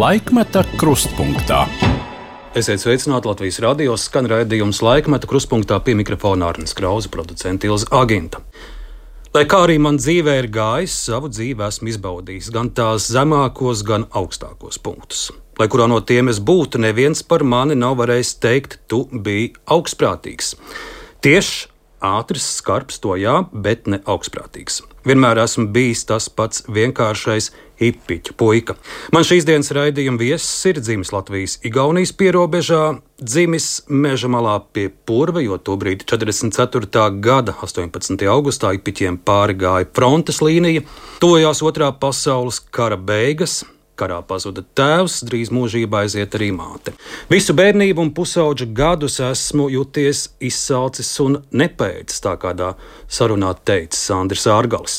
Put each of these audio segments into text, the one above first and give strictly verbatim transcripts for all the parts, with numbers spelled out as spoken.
Laikmeta krustpunktā. Esiet sveicināti Latvijas radio, skan raidījums Laikmeta krustpunktā, pie mikrofona Arnis Krauze, producente Ilze Aginta. Lai kā arī man dzīvē ir gājis, savu dzīvi esmu izbaudījis gan tās zemākos, gan augstākos punktus. Lai kurā no tiem es būtu, neviens par mani nav varējis teikt, tu biji augstprātīgs. Tieši ātrs, skarbs, to jā, bet ne augstprātīgs. Vienmēr esmu bijis tas pats vienkāršais hipiķu puika. Man šīs dienas raidījuma viesis ir dzimis Latvijas-Igaunijas pierobežā, dzimis meža malā pie Purva, jo tobrīd četrdesmit ceturtā gada astoņpadsmitajā augustā hipiķiem pāri gāja frontes līnija, tojās otrā pasaules kara beigas. Karā pazuda tēvs, drīz mūžībā aiziet arī māte. Visu bērnību un pusauģa gadus esmu juties izsalcis un nepēcis, tā kādā sarunā teica Sandris Ārgalis.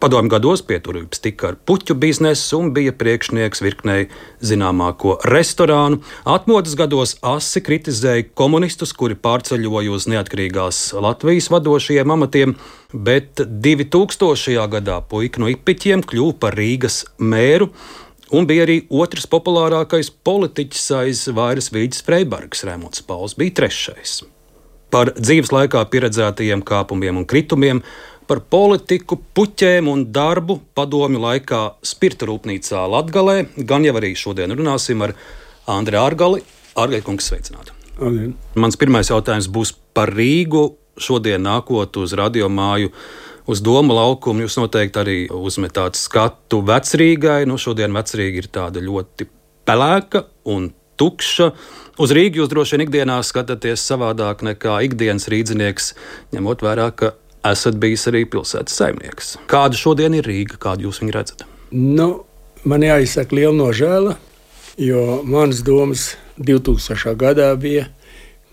Padomju gados pieturības tika ar puķu biznesu un bija priekšnieks virknei zināmāko restorānu. Atmodas gados asi kritizēja komunistus, kuri pārceļoja uz neatkarīgās Latvijas vadošajiem amatiem, bet divtūkstošajā gadā puika no hipiķiem kļuva par Rīgas mēru, un bija arī otrs populārākais politiķis aiz Vairas Vīģes Freibergas, Raimonds Pauls bija trešais. Par dzīves laikā pieredzētajiem kāpumiem un kritumiem, par politiku, puķēm un darbu padomju laikā spirta rūpnīcā Latgalē, gan jau arī šodien runāsim ar Andri Ārgali. Ārgai kungs, sveicināti. Amen. Mans pirmais jautājums būs par Rīgu. Šodien nākot uz radiomāju uz Doma laukumu, jūs noteikti arī uzmetāt skatu Vecrīgai. Nu, šodien Vecrīga ir tāda ļoti pelēka un tukša. Uz Rīgu jūs droši vien ikdienā skatāties savādāk nekā ikdienas rīdzinieks, ņemot vērā, ka esat bijis arī pilsētas saimnieks. Kāda šodien ir Rīga, kādu jūs viņu redzat? Nu, man jāizsaka liela nožēla, jo manas domas divtūkstošā gadā bija,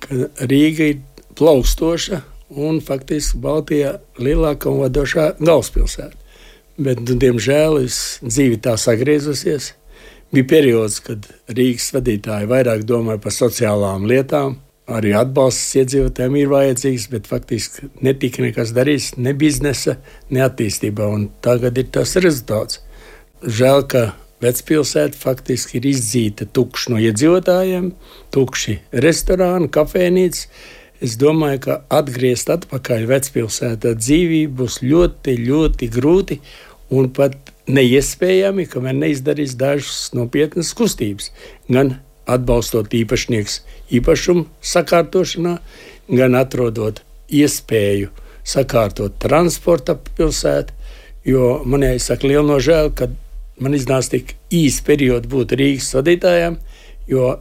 ka Rīga ir plaukstoša un faktiski Baltijā lielākā un vadošā galvaspilsēta. Bet, nu, diemžēl, dzīve tā sagriezusies. Bija periods, kad Rīgas vadītāji vairāk domāja par sociālām lietām, arī atbalsts iedzīvotājiem ir vajadzīgs, bet faktiski netika nekas darīts, ne biznesa, ne attīstībā, un tagad ir tas rezultāts. Žēl, ka vecpilsēta faktiski ir izdzīta tukši no iedzīvotājiem, tukši restorāni, kafēnītes. Es domāju, ka atgriezt atpakaļ vecpilsētā dzīvību būs ļoti, ļoti grūti un pat neiespējami, kamēr neizdarīs dažas nopietnas kustības. Gan atbalstot īpašnieks īpašumu sakārtošanā, gan atrodot iespēju sakārtot transporta pilsētu, jo man jāizsaka liela nožēla, ka man iznāca tik īs periodu būt Rīgas vadītājiem, jo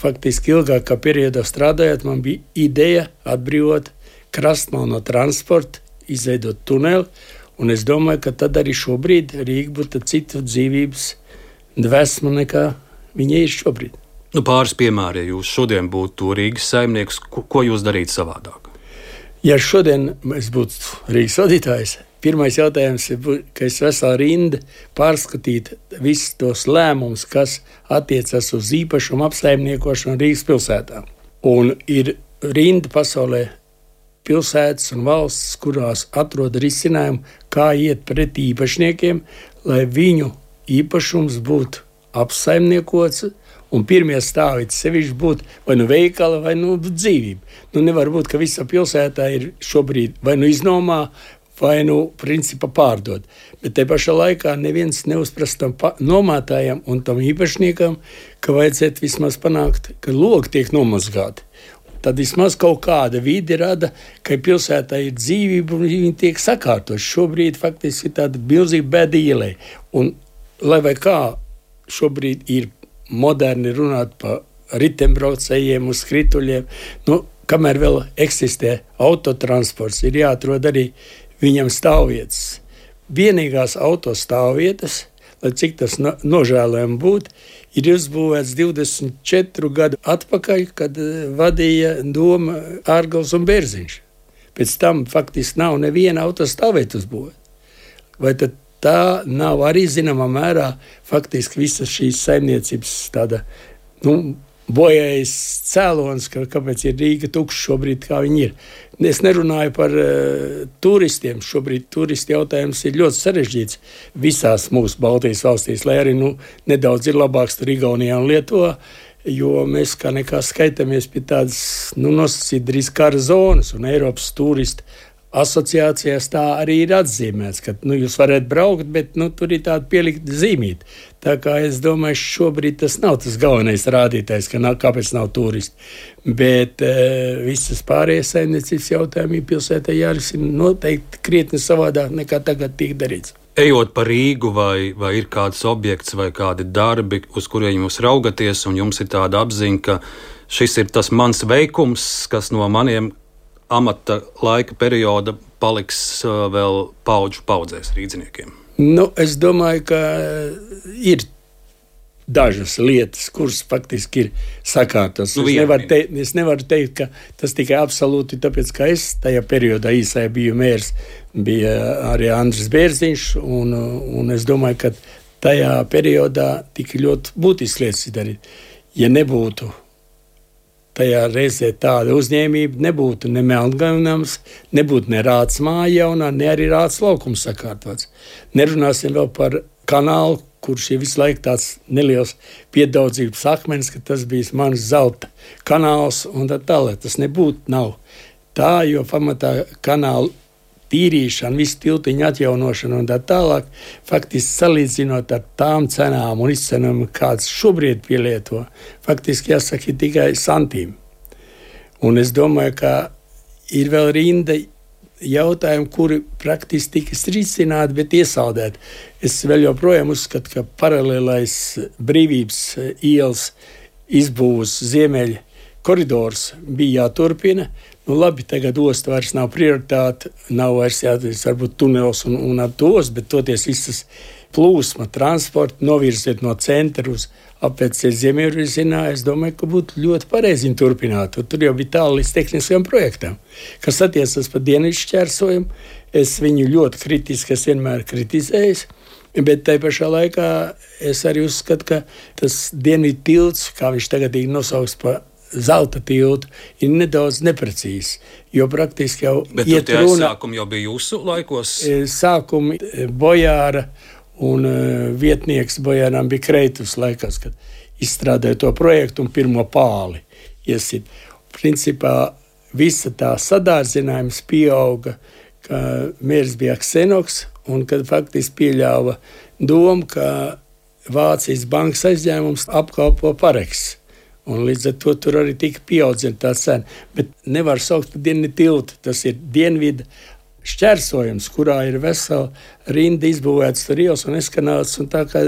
faktiski ilgākā periodā strādājot, man bija ideja atbrīvot krastmalu no transporta, izveidot tuneli, un es domāju, ka tad arī šobrīd Rīga būtu cita dzīvības dvēsma nekā viņa ir šobrīd. Nu, pāris piemēri, ja jūs šodien būtu Rīgas saimnieks, ko, ko jūs darītu savādāk? Ja šodien es būtu Rīgas vadītājs, pirmais jautājums ir, ka es veselā rinda pārskatītu visus tos lēmumus, kas attiecas uz īpašumu apsaimniekošanu Rīgas pilsētā. Un ir rinda pasaulē pilsētas un valsts, kurās atrod risinājumu, kā iet pret īpašniekiem, lai viņu īpašums būtu apsaimniekots, un pirmie stāvi sevišķi būtu vai nu veikala, vai nu dzīvība. Nu, nevar būt, ka visa pilsētā ir šobrīd vai nu iznomā, vai nu principā pārdod. Bet te pašā laikā neviens neuzprast tam nomātājam un tam īpašniekam, ka vajadzētu vismaz panākt, ka logi tiek nomazgāti. Tad vismaz kaut kāda vide rada, ka pilsētā ir dzīvība un viņi tiek sakārtot. Šobrīd faktiski ir tāda milzīga bēda ielē. Un lai vai kā šobrīd ir moderni runāt par ritembraucējiem uz skrituļiem, nu, kamēr vēl eksistē autotransports, ir jāatrod arī viņam stāvvietas. Vienīgās autostāvvietas, lai cik tas no, nožēlojami būtu, ir uzbūvēts divdesmit četru gadu atpakaļ, kad vadīja Doma Ārgals un Bērziņš. Pēc tam faktiski nav neviena autostāvvieta uzbūvēta. Vai tad tā nav arī zināmā mērā faktiski visas šīs saimniecības tāda, nu, bojājis cēlonis, ka, kāpēc ir Rīga tukša šobrīd, kā viņi ir. Es nerunāju par uh, turistiem. Šobrīd turisti jautājums ir ļoti sarežģīts visās mūsu Baltijas valstīs, lai arī nu, nedaudz ir labāks tur Igaunijā un Lietuvā, jo mēs kā nekā skaitamies pie tādas, nu, nosacīt drīz kara zonas, un Eiropas turisti asociācijās tā arī ir atzīmēts, ka nu, jūs varat braukt, bet nu, tur ir tāda pielikta zīmīta. Tā kā es domāju, šobrīd tas nav tas galvenais rādītājs, ka nav, kāpēc nav turisti. Bet e, visas pārējās saimniecības jautājumi pilsētā jārisina noteikti krietni savādāk nekā tagad tiek darīts. Ejot pa Rīgu, vai, vai ir kāds objekts vai kādi darbi, uz kuriem jūs raugaties, un jums ir tāda apziņa, ka šis ir tas mans veikums, kas no maniem amata laika perioda paliks uh, vēl paudžu paudzēs rīdziniekiem? Nu, es domāju, ka ir dažas lietas, kuras faktiski ir sakārtas. Nu, es, nevaru teikt, es nevaru teikt, ka tas tikai absolūti tāpēc, ka es tajā periodā īsā biju mērs, bija arī Andris Bērziņš, un, un es domāju, ka tajā periodā tika ļoti būtisks lietas darīt. Ja nebūtu tajā reizē tāda uzņēmība, nebūtu ne Melngalnams, nebūtu ne Rāts māja jaunā, ne arī Rāts laukums sakārtots. Nerunāsim vēl par kanālu, kurš ir visu laiku tāds neliels piedaudzības akmens, ka tas bija mans zelta kanāls un tā tālāk. Tas nebūtu nav tā, jo pamatā kanālu tīrīšana, visu tiltiņu atjaunošana un tā tālāk, faktiski salīdzinot ar tām cenām un izcenām, kādas šobrīd pielieto, faktiski jāsaka ir tikai santīm. Un es domāju, ka ir vēl rinda jautājumi, kuri praktiski tikas risināti, bet iesaldēti. Es vēl joprojām uzskatu, ka paralēlais Brīvības ielas izbūves ziemeļa koridors bija jāturpina. Nu, labi, tagad osta vairs nav prioritāte, nav vairs jāatzīst, varbūt tunels un, un ar tos, bet toties visas plūsma, transporta novirziet no centra uz apveceļu ziemeļvirzienā, es domāju, ka būtu ļoti pareizi viņu turpināt. Tur jau bija tālu līdz tehniskajam projektam. Kas attiecas par dienvidu šķērsojumu, es viņu ļoti kritiski, es vienmēr kritizējis, bet tai pašā laikā es arī uzskatu, ka tas dienvidu tilts, kā viņš tagad ir nosauks par zelta tiltu, ir nedaudz neprecīzi, jo praktiski jau bet iet runa... Bet runa... sākumi jau bija jūsu laikos? Sākumi Bojāra un uh, vietnieks Bojāram bija Kreitus laikās, kad izstrādāja to projektu un pirmo pāli iesit. Principā visa tā sadārdzinājums pieauga, ka mērs bija Ksenoks un kad faktiski pieļāva domu, ka Vācijas bankas aizņēmums apkalpo Pareks. Un līdz ar to tur arī tika pieaudzina tā cena. Bet nevar saukt par dienvidu tiltu. Tas ir dienvidu šķērsojums, kurā ir vesela rinda izbūvēts tur ielas un eskanāls. Un tā kā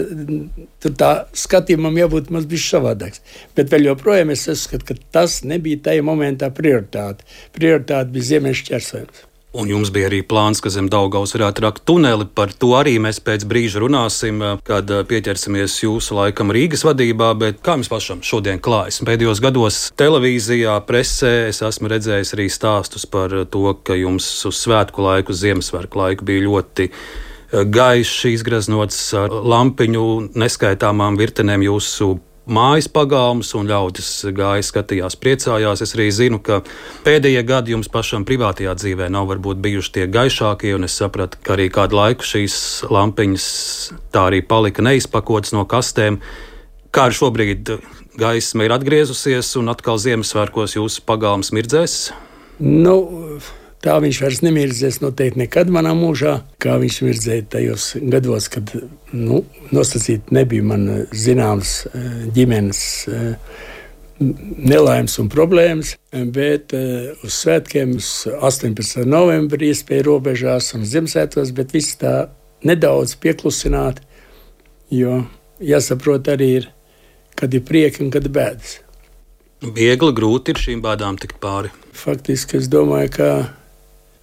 tur tā skatījumam jābūt maz bišķi savādāks. Bet vēl joprojām es uzskatu, ka tas nebija tajā momentā prioritāte. Prioritāte bija ziemeļu šķērsojums. Un jums bija arī plāns, ka zem Daugavas varētu rakt tuneli. Par to arī mēs pēc brīža runāsim, kad pieķersimies jūsu laikam Rīgas vadībā. Bet kā jums pašam šodien klājas? Pēdējos gados televīzijā, presē es esmu redzējis arī stāstus par to, ka jums uz svētku laiku, uz Ziemassvētku laiku bija ļoti gaišs, izgraznots ar lampiņu neskaitāmām virtenēm jūsu mājas pagalms, un ļaudis gāja, skatījās, priecājās. Es arī zinu, ka pēdējie gadi jums pašam privātajā dzīvē nav varbūt bijuši tie gaišākie, un es sapratu, ka arī kādu laiku šīs lampiņas tā arī palika neizpakotas no kastēm. Kā ar šobrīd gaisma ir atgriezusies, un atkal Ziemassvētkos jūsu pagalms mirdzēs? Nu... Tā viņš vairs nemirdzēs noteikti nekad manā mūžā, kā viņš mirdzēja tajos gados, kad nu, nosacīt nebija man zināms ģimenes nelaimes un problēmas, bet uz svētkiem, uz astoņpadsmitā novembrī iespēja robežās un Ziemassvētkos, bet viss tā nedaudz pieklusināt, jo jāsaprot arī ir, kad ir prieki un kad ir bēdas. Viegli, grūti ir šīm bēdām tikt pāri? Faktiski es domāju, ka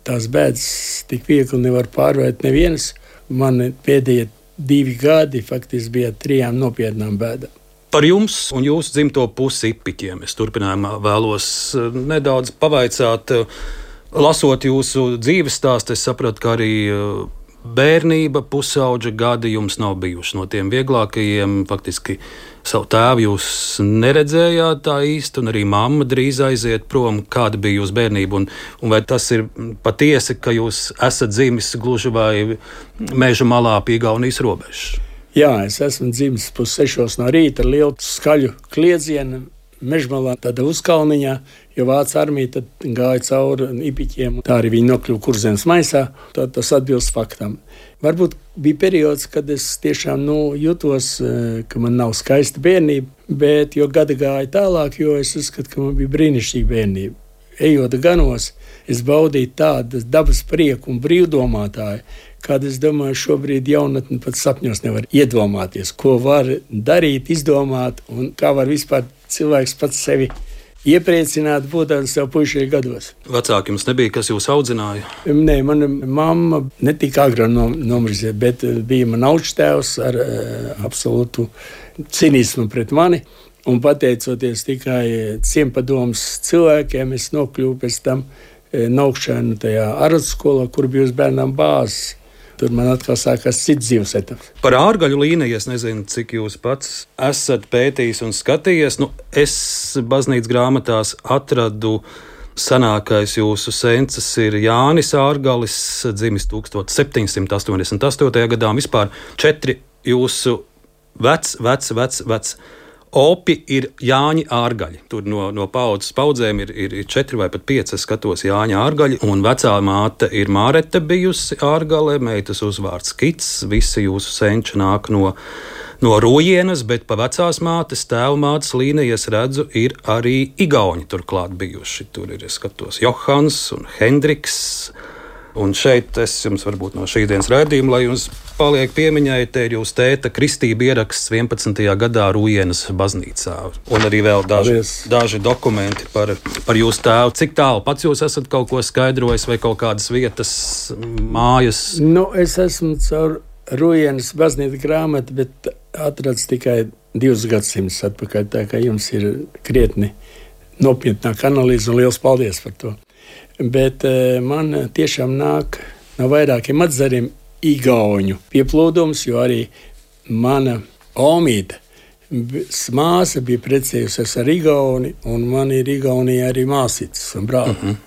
tās bēdas tik viegli nevar pārvērt nevienas. Man pēdējie divi gadi faktiski bija trijām nopietnām bēdām. Par jums un jūsu dzimto pusi Ipiķiem es turpinājumā vēlos nedaudz pavaicāt. Lasot jūsu dzīves stāstu, es sapratu, ka arī bērnība, pusauģa gadi jums nav bijuši no tiem vieglākajiem. Faktiski Savu tēvu jūs neredzējāt tā īsti, un arī mamma drīz aiziet prom. Kāda bija jūsu bērnība? Un, un vai tas ir patiesi, ka jūs esat dzimis gluži vai meža malā pie Igaunijas robežas? Jā, es esmu dzimis pussešos no rīta ar lielu skaļu kliedzienu. Mežmalā, tāda uzkalniņā, jo Vācu armija tad gāja cauri Ipiķiem. Tā arī viņi nokļuva Kurzemes maisā. Tad tas atbilst faktam. Varbūt bija periods, kad es tiešām nu, jutos, ka man nav skaista bērnība, bet jo gadi gāja tālāk, jo es uzskatu, ka man bija brīnišķīga bērnība. Ejot ganos, es baudīju tādu dabas prieku un brīvdomātāju, kāda, es domāju, šobrīd jaunatni pat sapņos nevar iedomāties, ko var darīt, izdomāt un kā var vispār cilvēks pats sevi iepriecināt, būtams jau puišajos gados. Vecāki jums nebija, kas jūs audzināja? Nē, mana mamma ne tik agri nomirsies, bet bija man augstēvs ar uh, absolūtu cinismu pret mani. Un pateicoties tikai ciempadomas cilvēkiem, es nokļuvu pēc tam Naukšēnu tajā ārskolā, kur bija uz bērnām bāzes. Tur man atkal sākās cits dzīves etaps. Par ārgaļu līniju es nezinu, cik jūs pats esat pētījis un skatījies. Nu, es baznīcas grāmatās atradu senākais jūsu sencis ir Jānis Ārgalis, dzimis tukstot septiņsimt astoņdesmit astotajā gadā. Un vispār četri jūsu vec, vec, vec, vec opi ir Jāņi Ārgaļi. Tur no, no paudzes paudzēm ir, ir, ir četri vai pat pieci, es skatos Jāņa Ārgaļi. Un vecā māte ir Mārete bijusi Ārgale, meitas uzvārds Kits. Visi jūsu senči nāk no, no Rojienas, bet pa vecās mātes, tēva mātes līniju es redzu, ir arī Igauni turklāt bijuši. Tur ir, es skatos, Johans un Hendriks. Un šeit es jums varbūt no šīs dienas raidījuma, lai jums paliek piemiņai, te ir jūsu tēta kristība ieraksts vienpadsmitajā gadā Rujienas baznīcā. Un arī vēl daži, daži dokumenti par, par jūsu tēvu. Cik tālu pats jūs esat kaut ko skaidrojis vai kaut kādas vietas, mājas? Nu, es esmu caur Rujienas baznīcas grāmatu, bet atrads tikai divus gadsimtus atpakaļ, tā kā jums ir krietni nopietnāk analīze un liels paldies par to. Bet man tiešām nāk no vairākiem atzariem igauņu pieplūdums, jo arī mana omīte, māsa bija precējusies ar Igauni, un man ir Igaunijā arī māsītes un brāli. Uh-huh.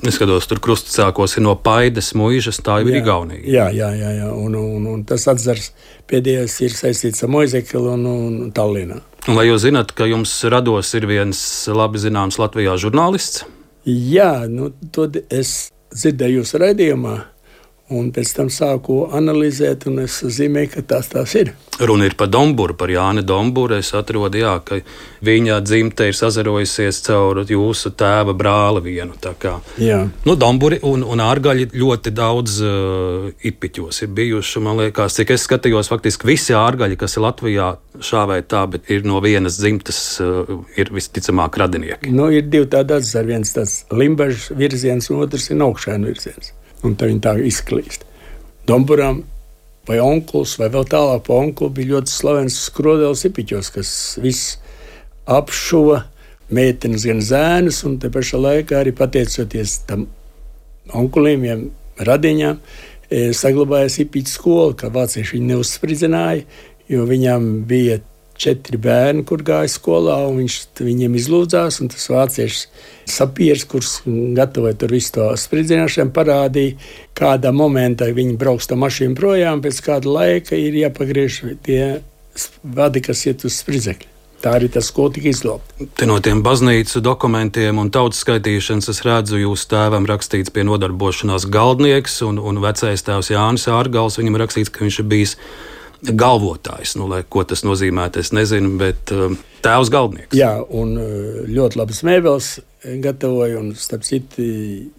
Es skatos, tur krustsākos ir no Paides muižas, tā ir Igaunija. Jā, jā, jā, jā. Un, un, un tas atzars pēdējais ir saistīts ar Moizekeli un, un Tallinā. Un vai jūs zināt, ka jums rados ir viens labi zināms Latvijā žurnālists? Jā, nu, to es dzirdēju jūsu raidījumā, un pēc tam sāku analizēt, un es zīmēju, ka tās tās ir. Runa ir par Domburu, par Jāni Domburu. Es atrodu, jā, ka viņa dzimte ir sazarojusies caur jūsu tēva brāli vienu. Tā kā, nu, Domburi un, un Ārgaļi ļoti daudz uh, Ipiķos ir bijuši. Man liekas, cik es skatījos, faktiski visi Ārgaļi, kas ir Latvijā šā vai tā, bet ir no vienas dzimtes, uh, ir visticamāk radinieki. Nu, ir divi tādi atzari, viens tāds Limbažas virziens, un otrs ir Naukšēnu virziens. Un tā viņi tā izklīst. Domburam vai onkuls, vai vēl tālāk pa onkulu bija ļoti slavens Skrodēls Ipiķos, kas viss apšuva meitenes gan zēnus, un te pašā laikā arī pateicoties tam onkuliem, radiņām, saglabājās Ipiķu skola, ka vācieši viņu neuzspridzināja, jo viņām bija četri bērni, kur gāja skolā, un viņš viņiem izlūdzās, un tas vāciešs sapieris, kurš gatavoja tur visu to spridzināšanu, parādīja, kādā momentā viņi brauks tā mašīnu projām, pēc kāda laika ir jāpagriež tie vadi, kas iet uz spridzekļu. Tā arī tas skola tika izglābta. Te no tiem baznīcu dokumentiem un tautas skaitīšanas es redzu, jūsu tēvam rakstīts pie nodarbošanās galdnieks, un, un vecais tēvs Jānis Ārgals, viņam rakstīts, ka viņš ir bijis galvotājs, nu, lai ko tas nozīmētu, es nezinu, bet uh, tēvs galdnieks. Jā, un ļoti labas mēbeles gatavoju, un starp citu,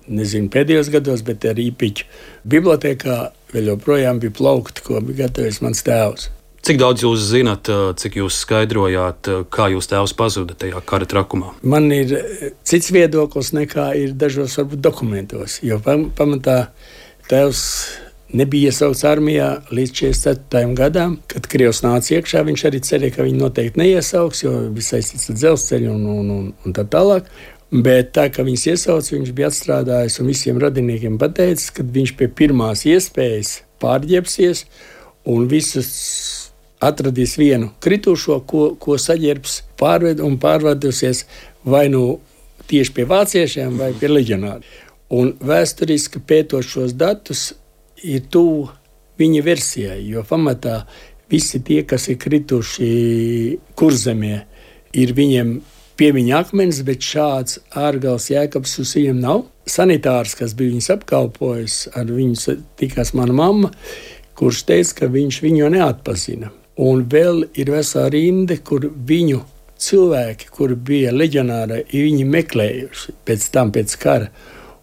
nezinu pēdējos gados, bet arī Ipiķu bibliotēkā vēl joprojām bija plaukti, ko bija gatavojis mans tēvs. Cik daudz jūs zināt, cik jūs skaidrojāt, kā jūs tēvs pazuda tajā kara trakumā? Man ir cits viedoklis nekā ir dažos varbūt dokumentos, jo pamatā tēvs nebija iesaukts armijā līdz četrdesmit ceturtajam gadam, kad Krievs nāca iekšā. Viņš arī cerēja, ka viņi noteikti neiesauks, jo bija saistīts ar dzelzceļu un, un, un, un tā tālāk. Bet tā, ka viņus iesauc, viņš bija atstrādājis un visiem radiniekiem pateicis, ka viņš pie pirmās iespējas pārģērbsies un visus atradīs vienu kritušo, ko, ko saģērbs pārved un pārvadosies vai nu tieši pie vāciešiem vai pie leģionāriem. Un vēsturiski pētot šos datus ir tuvu viņa versijai, jo pamatā visi tie, kas ir krituši Kurzemē, ir viņiem piemiņa akmens, bet šāds ārgals jēkabs uz viņiem nav. Sanitārs, kas bija viņus apkalpojis, ar viņu tikās mana mamma, kurš teica, ka viņš viņu neatpazina. Un vēl ir vesela rinde, kur viņu cilvēki, kuri bija leģionāri, viņi meklējuši pēc tam, pēc kara.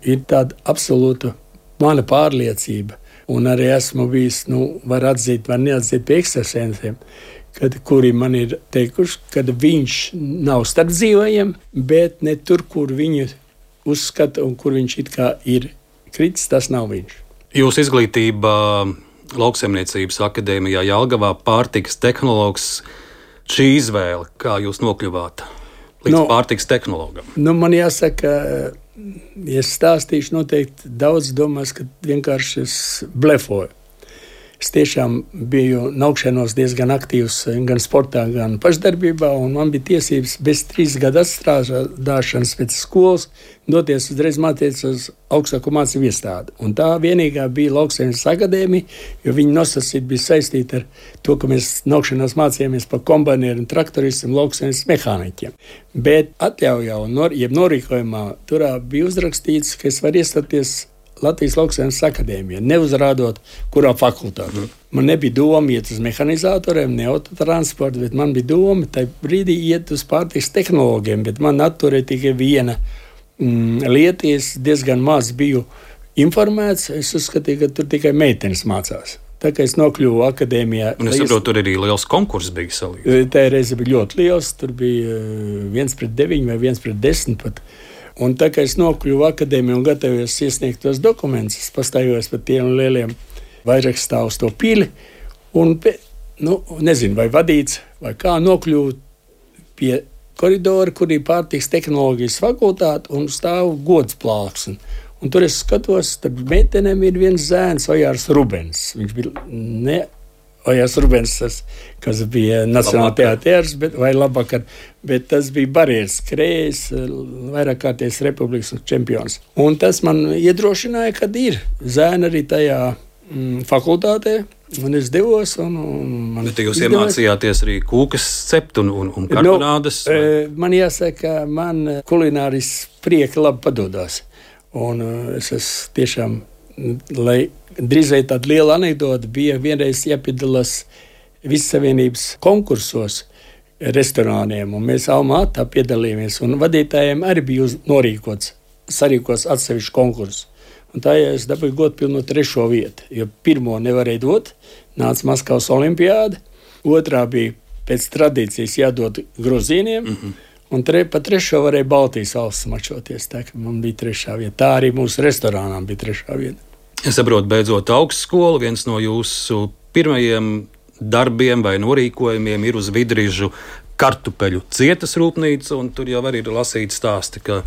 Ir tāda absolūta mana pārliecība. Un arī esmu bijis, nu, var atzīt, var neatzīt pie ekstrasensiem, kad, kuri man ir teikuši, ka viņš nav starp dzīvajiem, bet ne tur, kur viņu uzskata un kur viņš it kā ir kritis, tas nav viņš. Jūsu izglītība Lauksaimniecības akadēmijā Jelgavā, pārtikas tehnologs, šī izvēle, kā jūs nokļuvāt līdz no, pārtikas tehnologam? Nu, man jāsaka, ja es stāstīšu, noteikti daudz domās, ka vienkārši es blefoju. Es tiešām biju naukšanos diezgan aktīvs gan sportā, gan pašdarbībā, un man bija tiesības bez trīs gadu atstrādāšanas pēc skolas doties uzreiz mācīties uz augstāko mācību iestādi. Un tā vienīgā bija Lauksaimniecības akadēmija, jo viņa nosacīta bija saistīta ar to, ka mēs naukšanos mācījāmies par kombainieru un traktoristiem, lauksaimniecības mehāniķiem. Bet atļaujā un nor, jeb norīkojumā turā bija uzrakstīts, ka es varu iestāties Latvijas Lauksaimniecības akadēmijā, neuzrādot, kurā fakultātē. Mm. Man nebija doma iet uz mehanizatoriem, ne autotransportu, bet man bija doma tajā brīdī iet uz pārtikas tehnologiem, bet man atturēja tikai viena mm, lieta, es diezgan maz biju informēts, es uzskatīju, ka tur tikai meitenes mācās. Tā kā es nokļuvu akadēmijā. Un es saprotu, tur arī liels konkurss bija salīdzinājums. Tā reize bija ļoti liels, tur bija viens pret deviņi vai viens pret desmit pat. Un tā kā es nokļuvu akadēmiju un gatavojos iesniegt tos dokumentus, es pastājos par tiem lieliem vairākstāvu uz to pili. Un, nu, nezinu, vai vadīts, vai kā nokļuvu pie koridora, kur ir pārtikas tehnoloģijas fakultāte un stāv gods plāksne. Un tur es skatos, tad meitenēm ir viens zēns, Ojārs Rubens. Viņš bija ne Ojārs Rubens, tas, kas bija Nacionālā teāters, bet, vai labāk, bet tas bija barjeras skrējs, vairāk kārties republikas čempions. Un tas man iedrošināja, kad ir zēni arī tajā mm, fakultātē, un es devos. Un, un man bet jūs izdevās. Iemācījāties arī kūkas cept un, un, un karbonādes? Nu, man jāsaka, man kulināris prieki labi padodās. Un es esmu tiešām, lai drīzai tāda liela anekdote, bija vienreiz jāpiedalās Vissavienības konkursos restorāniem, un mēs Almātā piedalījāmies, un vadītājiem arī bija norīkots, sarīkots atsevišķu konkursu. Un tā ja es dabūju godpilnu trešo vietu, jo pirmo nevarēja dot, nāca Maskavas olimpiāde, otrā bija pēc tradīcijas jādod grozīniem, mm-hmm. un tre, pa trešo varēja Baltijas valsts mačoties, tā ka man bija trešā vieta. Tā arī mūsu restorānām bija trešā vieta. Es saprotu, beidzot augstskolu, viens no jūsu pirmajiem darbiem vai norīkojumiem ir uz Vidrižu kartupeļu cietas rūpnīca, un tur jau arī ir lasīti stāsti, ka,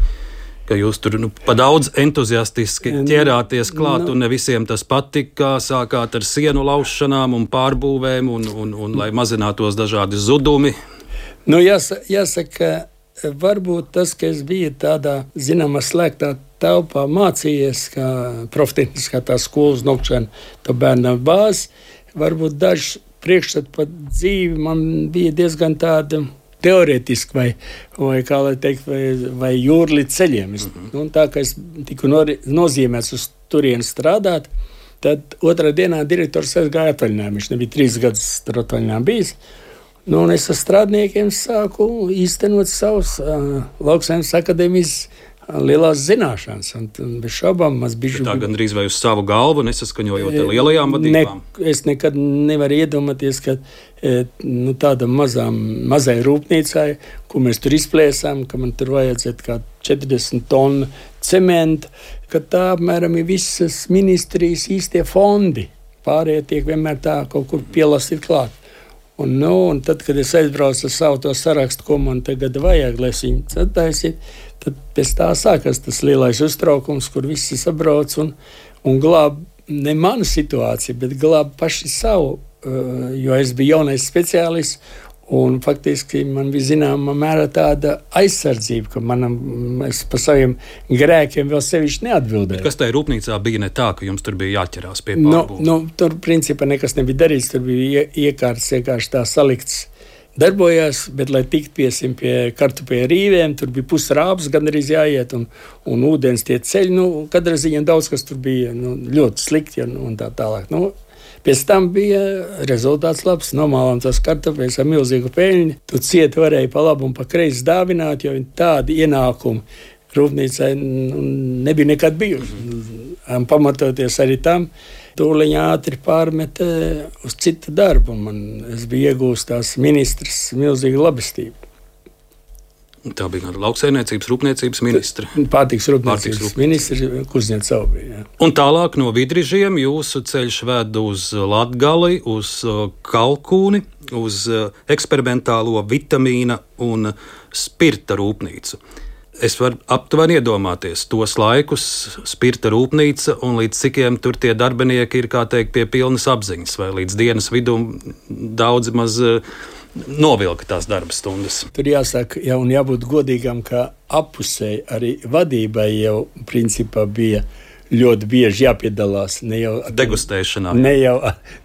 ka jūs tur nu, pa daudz entuziastiski ķērāties klāt, no. un ne visiem tas patika, sākāt ar sienu laušanām un pārbūvēm, un, un, un lai mazinātos dažādi zudumi. Nu, jāsaka, jāsaka, varbūt tas, ka es biju tādā, zināmā, slēgtā telpā mācījies, kā profiteniskā tā skolas nokšana, to bērnam bāzi, varbūt daži priekšstat par dzīvi man bija diezgan tāda teorētiski vai, vai kā lai teikt, vai, vai jūrli ceļiem. Mm-hmm. Un tā, ka es tiku nozīmēts uz turieni strādāt, tad otrā dienā direktors aizgāja atvaļinājumā. Viņš nebija trīs gadus tur atvaļinājumā bijis. Nu, un es ar strādniekiem sāku īstenot savus uh, Lauksaimniecības akadēmijas lielās zināšanas, un, un bez šaubām maz bišķi... Tā gandrīz vai uz savu galvu, nesaskaņojot ar lielajām vadībām? Ne, es nekad nevaru iedomāties, ka nu, tāda mazām, mazai rūpnīcai, ko mēs tur izplēsām, ka man tur vajadzētu kā četrdesmit tonu cementa, ka tā apmēram ir visas ministrijas īstie fondi. Pārējie tiek vienmēr tā kaut kur pielastīt klāt. Un, nu, un tad, kad es aizbraucu ar savu to sarakstu, ko man tagad vajag, lai es viņu sataisītu, tad pēc tā sākas tas lielais uztraukums, kur visi sabrauc un, un glāb ne manu situāciju, bet glāb paši savu jo es biju jaunais speciālists, un faktiski man bija zināma mērā tāda aizsardzība, ka manam, es par saviem grēkiem vēl sevišķi neatbildēju. Bet kas tajā rūpnīcā bija ne tā, ka jums tur bija jāķerās pie Nu, pārbūves? nu, tur principā nekas nebija darīts, tur bija ie- iekārts vienkārši tā salikts. Darbojās, bet, lai tiktu piesim pie kartupēja rīvēm, tur bija pusrābs, gan arī jāiet, un, un ūdens tie ceļi, nu, katrā ziņā daudz kas tur bija, nu, ļoti slikti, ja, un tā tālāk. Nu, pēc tam bija rezultāts labs, nomālām tos kartupējus ar milzīgu peļņu, tu cieti varēja pa labu un pa kreisi dāvināt, jo tādi ienākumi rūpnīcai nu, nebija nekad bijuši. Un pamatoties arī tam, tūliņā ātri pārmeta uz citu darbu. Man, es biju iegūst tās ministrs milzīgu labestību. Tā bija kāda lauksaimniecības, rūpniecības ministre. Pārtiks rūpniecības Pārtiks ministrs Kuzņecova bija. Jā. Un tālāk no Vidrižiem jūsu ceļš ved uz Latgali, uz uh, Kalkūni, uz uh, eksperimentālo vitamīna un spirta rūpnīcu. Es varu aptuveni iedomāties tos laikus, spirta rūpnīca, un līdz cikiem tur tie darbinieki ir, kā teikt, pie pilnas apziņas, vai līdz dienas vidum daudzi maz uh, novilka tās darba stundas. Tur jāsaka, ja un jābūt godīgam, ka apusēji arī vadībai jau principā bija ļoti bieži jāpiedalās. Ne jau ar, Degustēšanā. ne jau,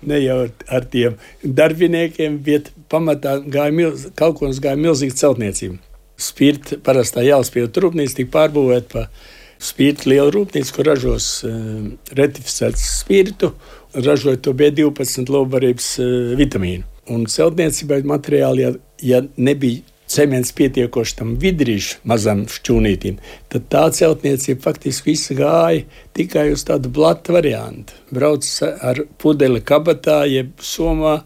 ne jau ar tiem darbiniekiem, bet pamatā gāja milz, Kalkūnas gāja milzīga celtniecība. Spirta, parastā jālspīta rūpnīca tika pārbūvēta pa spirta lielu rūpnīcu, kur ražos uh, retificēts spirtu, ražot to B divpadsmit labbarības uh, vitamīnu. Un celtniecībai materiāli, ja, ja nebija cements pietiekoši tam vidrīšu mazam šķūnītim, tad tā celtniecība faktiski visa gāja tikai uz tādu blatu variantu. Brauc ar pudeli kabatā, jeb somā,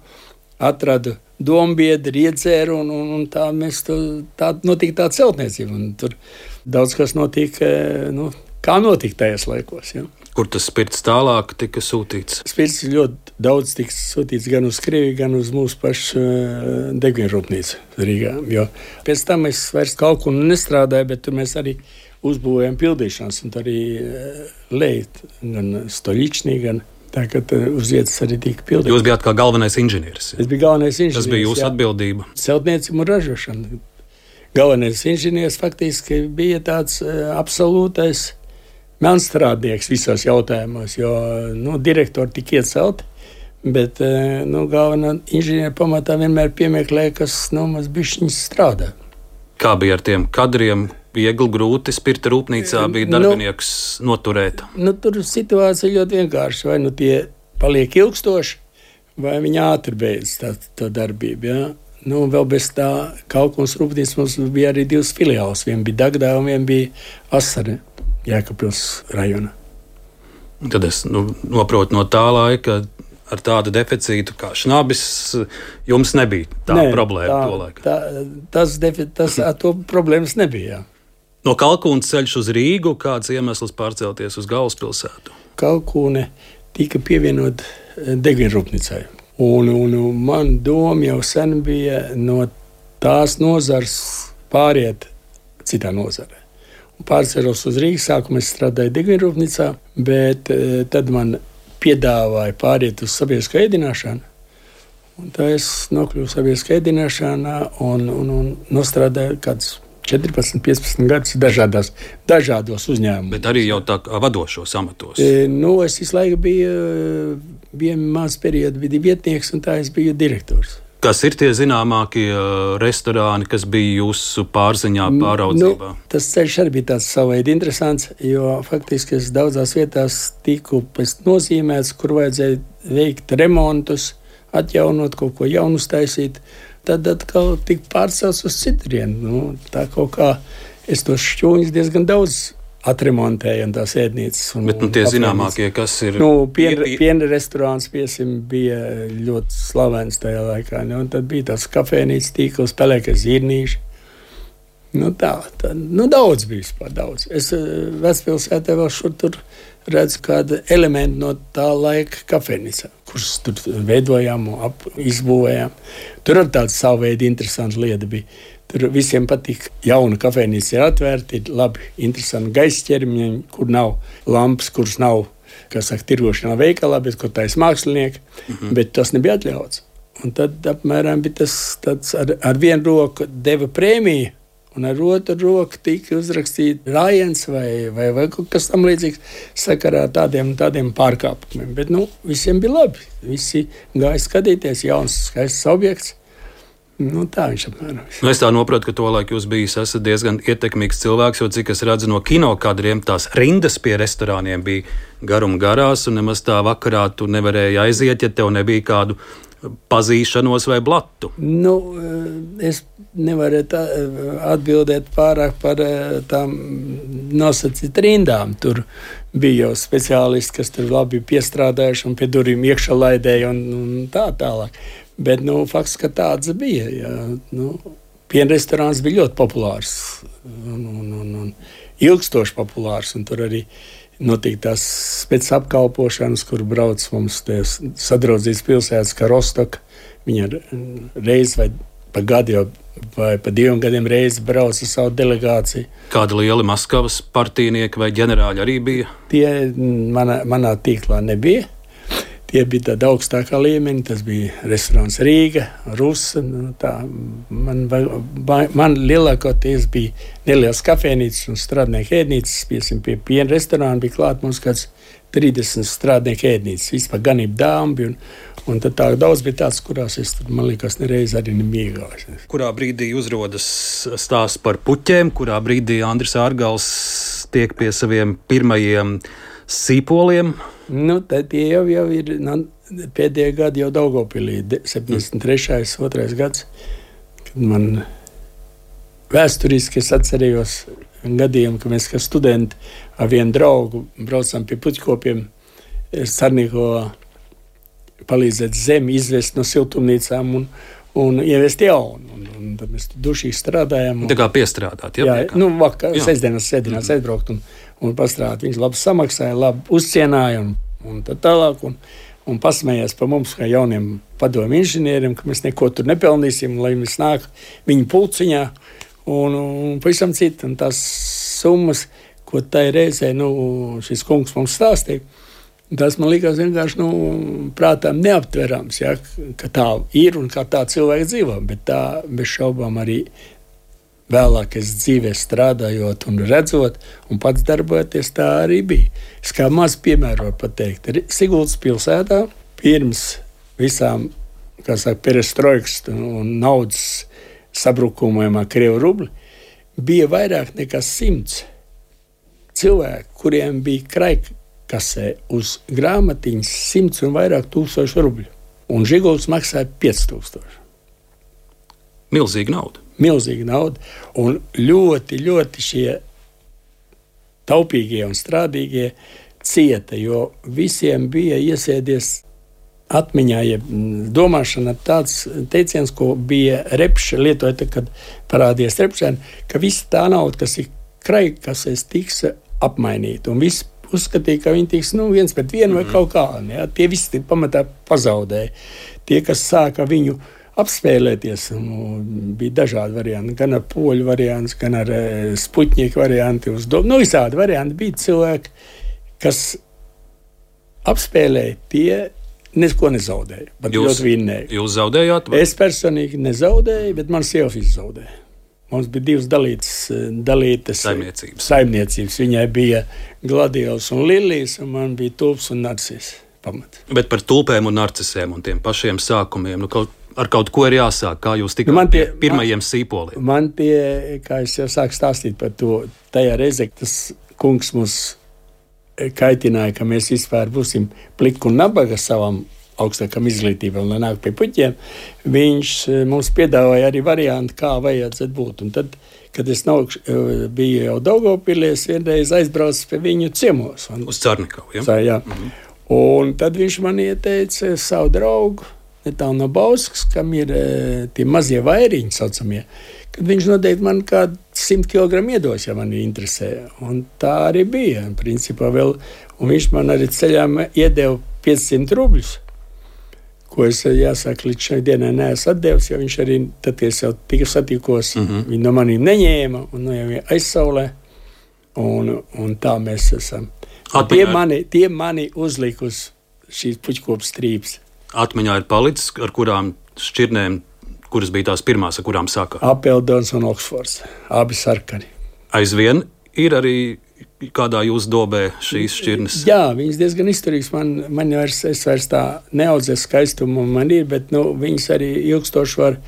atradu dombiedri, iedzēru, un, un, un tā mēs to, tā notika tā celtniecība. Un tur daudz kas notika, nu, kā notika tajos laikos, ja. Kur tas spirts tālāk tika sūtīts? Spirts ļoti daudz tika sūtīts gan uz Krieviju, gan uz mūsu pašu degvielrūpnīcu Rīgā. Jo pēc tam es vairs kaut kur nestrādāju, bet tur mēs arī uzbūvējam pildīšanas, un tur arī lejt, gan Stoļičnī, gan tā, ka uz vietas arī tika pildīts. Jūs bijāt kā galvenais inženieris. Es biju galvenais inženieris. Tas bija jūsu jā. atbildība. Celtniecība un ražošana. Galvenais inženieris faktiski bija tāds uh, absolūtais melnstrādnieks visos jautājumos, jo nu, direktori tika iecelti, bet uh, nu, galvenā inženiera pamatā vienmēr piemeklēja, kas nu, maz bišķiņas strādā. Kā bija ar tiem kadriem? Viegli, grūti spirta rūpnīcā bija darbinieks nu, noturēt. Nu, tur situācija ļoti vienkārši. Vai nu tie paliek ilgstoši, vai viņi ātri beidz tā, tā darbību. Ja? Nu, vēl bez tā Kalkūnas rūpnīcas mums bija arī divas filiāles. Viena bija Dagdā un viena bija Asare, Jēkabpils rajona. Tad es nu, noprotu no tā laika, ar tādu deficītu kā šnabis, jums nebija tā Nē, problēma tā, to laiku. Tā, tas, defi, tas ar to problēmas nebija. Jā. No Kalkūnas ceļš uz Rīgu, kāds iemesls pārcelties uz galvaspilsētu? Kalkūne tika pievienot degvielrūpnīcai. Un, un, un man doma jau sen bija no tās nozars pāriet citā nozarē. Pārcēlos uz Rīgas, sākumā es strādāju degvielrūpnīcā, bet e, tad man piedāvāja pāriet uz sabiedrisko ēdināšanu. Un tā es nokļuvu sabiedriskā ēdināšanā un, un, un nostrādāju kādus četrpadsmit, piecpadsmit gadus dažādās, dažādos uzņēmumos. Bet arī jau tā kā vadošos amatos. E, nu, es visu laiku biju, bija maz periodu, biju vietnieks, un tā es biju direktors. Kas ir tie zināmākie restorāni, kas bija jūsu pārziņā, pāraudzībā? Nu, tas ceļš arī bija tāds savveidi interesants, jo faktiski es daudzās vietās tiku pēc nozīmēts, kur vajadzēja veikt remontus, atjaunot kaut ko jaunu taisīt. Tad atkal tika pārcelts uz citurienu. Nu, tā kaut kā es tos šķūņus diezgan daudz atremontēju un tās ēdnīcas. Un, Bet nu, tie zināmākie, kas ir? Nu, piena, ir... piena restorāns, piesim, bija ļoti slavens tajā laikā. Nu, un tad bija tās kafēnīcas tīkls, pelēkas zirnīši. Nu, tā, tā, nu, daudz bija vispār daudz. Es Vecpilsētā vēl šur tur redzu kādu elementu no tā laika kafēnīcā, kurus tur veidojām un ap, izbūvējām. Tur arī tāda savu veidu interesanta lieta bija. Tur visiem patīk, jauna kafēnīca ir atvērta, ir labi, interesanti gaisa ķermeņi, kur nav lampas, kuras nav kā saka, tirgošanā veikalā, bet ko taisa mākslinieki, mm-hmm. bet tas nebija atļauts. Un tad apmēram bija tas tāds ar, ar vienu roku deva prēmiju, un ar otru roku tika uzrakstīts rājiens vai, vai, vai kaut kas tam līdzīgs sakarā ar tādiem, tādiem pārkāpumiem. Bet nu, visiem bija labi. Visi gāja skatīties, jauns, skaists objekts. Nu, tā viņš apmēram. Nu, es tā noprotu, ka tolaik jūs bijis esat diezgan ietekmīgs cilvēks, jo cik es redzu no kino kadriem, tās rindas pie restorāniem bija garum garās, un nemaz tā vakarā tu nevarēji aiziet, ja tev nebija kādu pazīšanos vai blatu. Nu, es nevaru tā atbildēt pārāk par tām nosacīt rindām. Tur bija jau speciālisti, kas tur labi piestrādājuši un pie durvīm iekšā laidēja un, un tā tālāk. Bet, nu, fakts, ka tāds bija. Jā, nu, piena restorāns bija ļoti populārs un, un, un, un ilgstoši populārs, un tur arī notika tās pēc apkalpošanas, kur brauc mums sadraudzītas pilsētas, kā Rostoka. Viņa reiz vai pa gadu jau, vai pa diviem gadiem reizi brauc ar savu delegāciju. Kādi lieli Maskavas partijnieki vai ģenerāļi arī bija? Tie manā, manā tīklā nebija. Tie bija tāda augstākā līmeņa, tas bija restorāns Rīga, Rusa. Nu, tā, man, man lielākoties bija nelielas kafēnīcas un strādnieku ēdnīcas. Piesim, pie piena restorāna bija klāt mums kāds trīsdesmit strādnieku ēdnīcas. Vispār ganība dāma bija, un, un tad tā daudz bija tāds, kurās es, man liekas, nereiz arī nebija iegājis. Kurā brīdī uzrodas stāsts par puķēm, kurā brīdī Andris Ārgals tiek pie saviem pirmajiem sīpoliem? Nu, tad tie jau, jau ir nu, pēdējā gada jau Daugavpilī, septiņdesmit trešais otrais gads, kad man vēsturiski es atcerējos gadījumu, ka mēs kā studenti ar vienu draugu braucam pie puķkopiem Sarnīko palīdzēt zemi izvest no siltumnīcām un, un ievest jaunu. Un, un tad mēs dušīgi strādājam. Un, tā kā piestrādāt, ja? Jā, nu, vakar, sestdienās, sēdinās mm-hmm. aizbraukt un un pastrādāt. Viņš labi samaksāja, labi uzcienāja un, un tā tālāk. Un, un pasmējās par mums, kā jauniem padomu inženieriem, ka mēs neko tur nepelnīsim, lai mēs nāk viņu pulciņā un, un pavisam citu. Un tās summas, ko tai reizē nu, šis kungs mums stāstīja, tas man likās vienkārši nu, prātām neaptverams, ja, ka tā ir un kā tā cilvēki dzīvo. Bet tā bez šaubām arī vēlāk es dzīvē strādājot un redzot, un pats darbojoties, tā arī bija. Es kā maz piemēru varu pateikt. Siguldas pilsētā pirms visām, kā saka, perestroikas un naudas sabrukumiem ar Krievu rubli, bija vairāk nekā simts cilvēku, kuriem bija kraikasē uz grāmatiņas simts un vairāk tūkstošu rubļu. Un Žiguls maksāja pieci tūkstoši. Milzīga nauda. Milzīga nauda, un ļoti, ļoti šie taupīgie un strādīgie cieta, jo visiem bija iesēdies atmiņā, ja domāšana tāds teiciens, ko bija Repša lietoja, kad parādījās Repšēn, ka visa tā nauda, kas ir kraikasēs, tiks apmainīta, un viss uzskatīja, ka viņi tiks nu, viens pret vienu vai kaut kā. Ja? Tie visi pamatā pazaudēja. Tie, kas sāka viņu apspēlēties, nu, bija dažādi varianti, gan ar poļu variants, gan ar spuķnieku varianti, uz domu. Nu, visādi varianti bija cilvēki, kas apspēlēja, tie neko nezaudēja, bet ļoti vinnēja. Jūs zaudējāt? Vai? Es personīgi nezaudēju, bet man sieva zaudēja. Mums bija divas dalītas, dalītas saimniecības. saimniecības. Viņai bija Gladielas un Lilijas, un man bija tulps un narcis. Pamat. Bet par tulpēm un narcisēm un tiem pašiem sākumiem, nu kaut ar kaut ko ir jāsāk, kā jūs tikāt nu pie pirmajiem man, sīpoliem? Man tie, kā es jau sāku stāstīt par to, tajā reizē, tas kungs mums kaitināja, ka mēs vispār būsim pliki un nabaga savam augstākam izglītībām, lai nāk pie puķiem. Viņš mums piedāvāja arī variantu, kā vajadzētu būt. Un tad, kad es nav, biju jau Daugavpilī, es vienreiz aizbraucu pie viņu ciemos. Un, uz Carnikavu, ja? Tā, jā. Mm-hmm. Un tad viņš man ieteica savu draugu, netālu no Bauskas, kam ir tie mazie vairiņi saucamie, kad viņš noteikti man kādu simt kilogramu iedos, ja mani interesē. Un tā arī bija, principā vēl. Un viņš man arī ceļām iedeva piecsimt rubļus, ko es, jāsaka, līdz šai dienai neesmu atdevis, jo viņš arī, tad, kad es jau tika satikos, mm-hmm. viņi no manī neņēma un no jau aizsaulē. Un, un tā mēs esam. Tie mani, tie mani uzlika uz šīs puķkopu strīpas. Atmiņā ir palicis, ar kurām šķirnēm, kuras bija tās pirmās, ar kurām sākā? Apeldons un Oksfords, abi sarkani. Aizvien ir arī kādā jūsu dobē šīs šķirnes? Jā, viņas diezgan izturīgas. Man, man vairs, es vairs tā neaudzē skaistumu man ir, bet nu, viņas arī ilgstoši var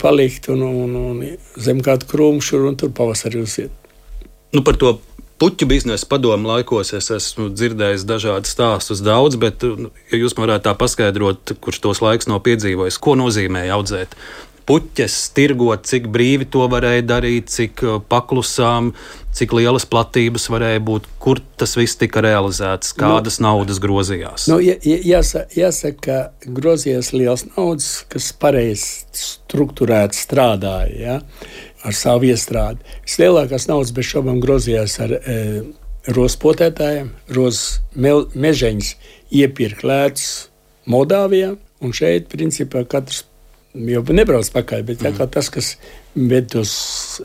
palikt un, un, un zem kādu krūmšu un tur pavasarī uziet. Nu, par to puķu biznesa padomu laikos es esmu dzirdējis dažādas stāstus daudz, bet ja jūs man varētu tā paskaidrot, kurš tos laiks nav piedzīvojis, ko nozīmēja audzēt puķes, tirgot, cik brīvi to varēja darīt, cik paklusām, cik lielas platības varēja būt, kur tas viss tika realizēts, kādas nu, naudas grozījās? Nu, jā, jāsaka, jāsaka, ka grozījās liels naudas, kas pareizi strukturēti strādāja, ja, ar savu iestrādi. Vislielākās naudas bez šobām grozījās ar e, rozpotētājiem, roz mežeņus iepirkt lētus Moldāvijā, un šeit, principā, katrs jau nebrauc pakaļ, bet mm. tas, kas ved tos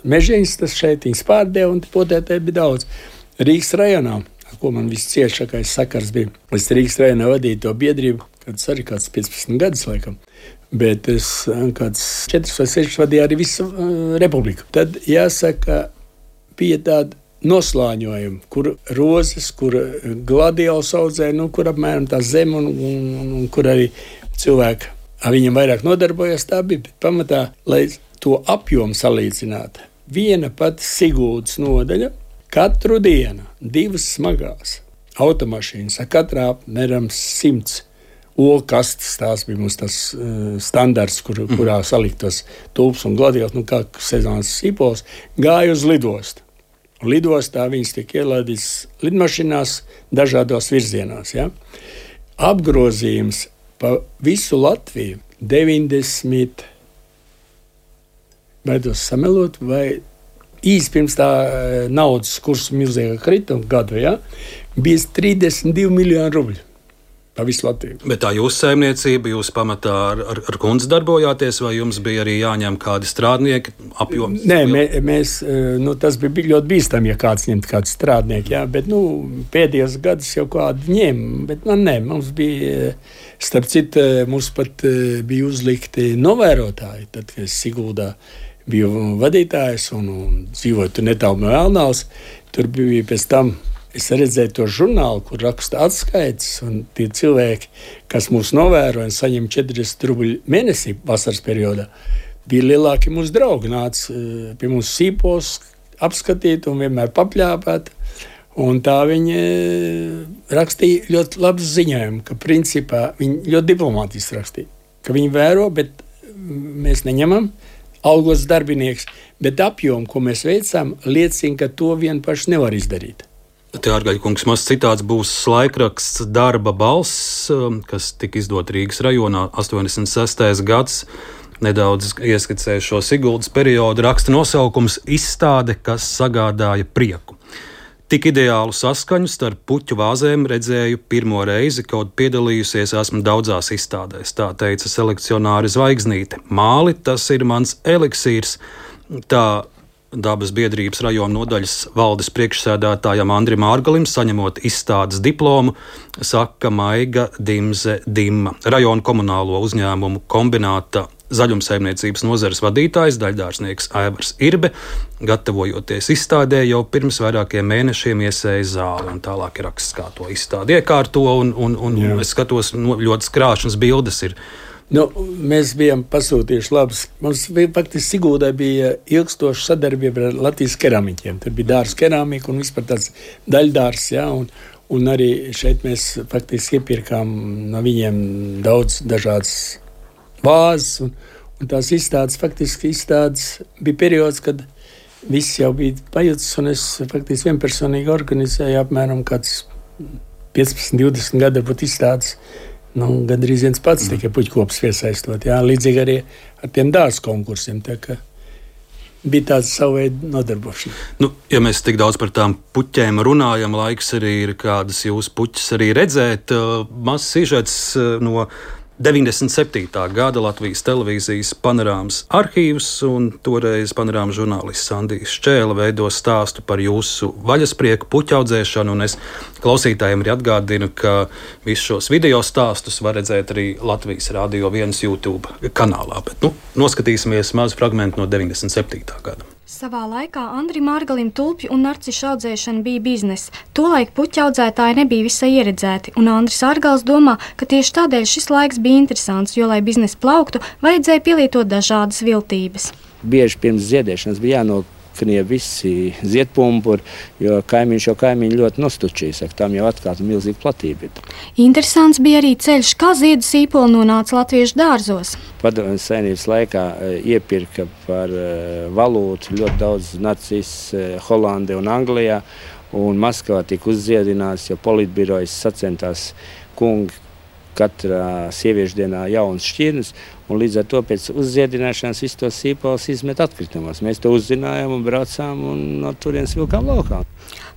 mežeņus, tas šeit viņas pārdeva, un potētāji bija daudz. Rīgas rajonā, ko man viss ciešākais sakars bija, es Rīgas rajonā vadīju to biedrību, kad arī kāds piecpadsmit gadus laikam, bet es kāds četras vai sešas vadīju arī visu uh, republiku. Tad jāsaka, bija tāda noslāņojuma, kur rozes, kur gladiāls audzē, nu, kur apmēram tā zem un, un, un, un kur arī cilvēki ar viņam vairāk nodarbojas, tā bija, bet pamatā, lai to apjomu salīdzinātu, viena pati Siguldas nodaļa katru dienu divas smagās automašīnas, ar katrā apmēram simts olkastes, tās bija mums tas uh, standarts, kur, mm. kurā saliktos tulps un gladiāls, nu kā sezonas sīpols, gāja uz lidostu. Lidostā viņas tiek ielādītas lidmašīnās dažādos virzienos. Ja? Apgrozījums pa visu Latviju deviņdesmit, baidos samelot, vai īsti pirms tā naudas kursu milzīgā krituma gadu, ja, bija trīsdesmit divi miljoni rubļu pa visu Latviju. Bet tā jūsu saimniecība, jūs pamatā ar, ar, ar kundzi darbojāties, vai jums bija arī jāņem kādi strādnieki apjoms? Nē, mē, mēs, nu, tas bija ļoti bīstami, ja kāds ņemt kādu strādnieku, jā, bet, nu, pēdējos gadus jau kādu ņem, bet man ne, mums bija, starp citu, mums pat bija uzlikti novērotāji, tad, kad es Siguldā biju vadītājs un, un dzīvoju tur netālu no Elnavas, tur bija pēc tam. Es redzēju to žurnālu, kur raksta atskaites, un tie cilvēki, kas mūs novēro un saņem četrdesmit rubļu mēnesī vasaras periodā, bija lielāki mūsu draugi. Nāca pie mums sīpos apskatīt un vienmēr papļāpāt. Un tā viņi rakstīja ļoti labs ziņojumu, ka principā viņi ļoti diplomātiski rakstīja, ka viņi vēro, bet mēs neņemam algos darbinieks, bet apjomu, ko mēs veicām, liecina, ka to vien paši nevar izdarīt. Te ārgaļkungs mazs citāts būs laikraksts Darba balss, kas tika izdot Rīgas rajonā astoņdesmit sestais gads. Nedaudz ieskicēju šo Siguldas periodu, raksta nosaukums Izstāde, kas sagādāja prieku. Tik ideālu saskaņu starp puķu vāzēm redzēju pirmo reizi, kaut piedalījusies esmu daudzās izstādēs, tā teica selekcionāri Zvaigznīte. Māli, tas ir mans eliksīrs, tā Dabas biedrības rajona nodaļas valdes priekšsēdētājam Andrim Ārgalim, saņemot izstādes diplomu, saka Maiga Dimze Dimma, rajona komunālo uzņēmumu kombināta zaļumsaimniecības nozares vadītājs, daļdārsnieks Aivars Irbe, gatavojoties izstādē, jau pirms vairākiem mēnešiem iesēja zāli, un tālāk ir raksts, kā to izstādi iekārto, un, un, un, un es skatos, no, ļoti skrāšņas bildes ir. Nu, mēs bijām pasūtījuši labus. Mums bija, faktiski Siguldā bija ilgstoša sadarbība ar Latvijas keramiķiem. Tur bija dārs keramika un vispār tāds daļdārs, ja, un, un arī šeit mēs faktiski iepirkām no viņiem daudz dažādas vāzes, un, un tās izstādes, faktiski izstādes bija periods, kad viss jau bija pajutis, un es faktiski vienpersonīgi organizēju apmēram kāds piecpadsmit, divdesmit gadu varbūt izstādes. Nu, gandrīz viens pats tikai puķkops piesaistot. Jā, līdzīgi arī ar tiem dārza konkursiem. Tā kā bija tāds savu veidu nodarbošana. Nu, ja mēs tik daudz par tām puķēm runājam, laiks arī ir kādas jūsu puķes arī redzēt. Mazs sižets no deviņdesmit septītā gada Latvijas televīzijas panorāmas arhīvs, un toreiz panorāmas žurnālists Sandijs Šķēle veido stāstu par jūsu vaļasprieku puķu audzēšanu, un es klausītājiem arī atgādinu, ka visus šos video stāstus var redzēt arī Latvijas Radio viens YouTube kanālā, bet nu, noskatīsimies mazu fragmentu no deviņdesmit septītā gada. Savā laikā Andrim Mārgalim tulpju un narcišu audzēšana bija biznesa. Tolaik puķu audzētāji nebija visai ieredzēti, un Andris Ārgals domā, ka tieši tādēļ šis laiks bija interesants, jo, lai biznesa plauktu, vajadzēja pielietot dažādas viltības. Bieži pirms ziedēšanas bija jānoknie visi ziedpumpuri, jo kaimiņš jau kaimiņi ļoti nostučīja, saka, tam jau atkārt milzīga platība. Interesants bija arī ceļš, kā ziedu sīpoli nonāca latviešu dārzos. Padomju Savienības laikā iepirka par valūtu ļoti daudz narcis Holandē un Anglijā, un Maskavā tika uzziedināts, jo politbirojas sacentās kungi katrā sieviešu dienā jaunas šķirnes, un līdz ar to pēc uzziedināšanas visus tos sīpols izmet atkritumos. Mēs to uzzinājām un braucām un no turienes vilkām laukā.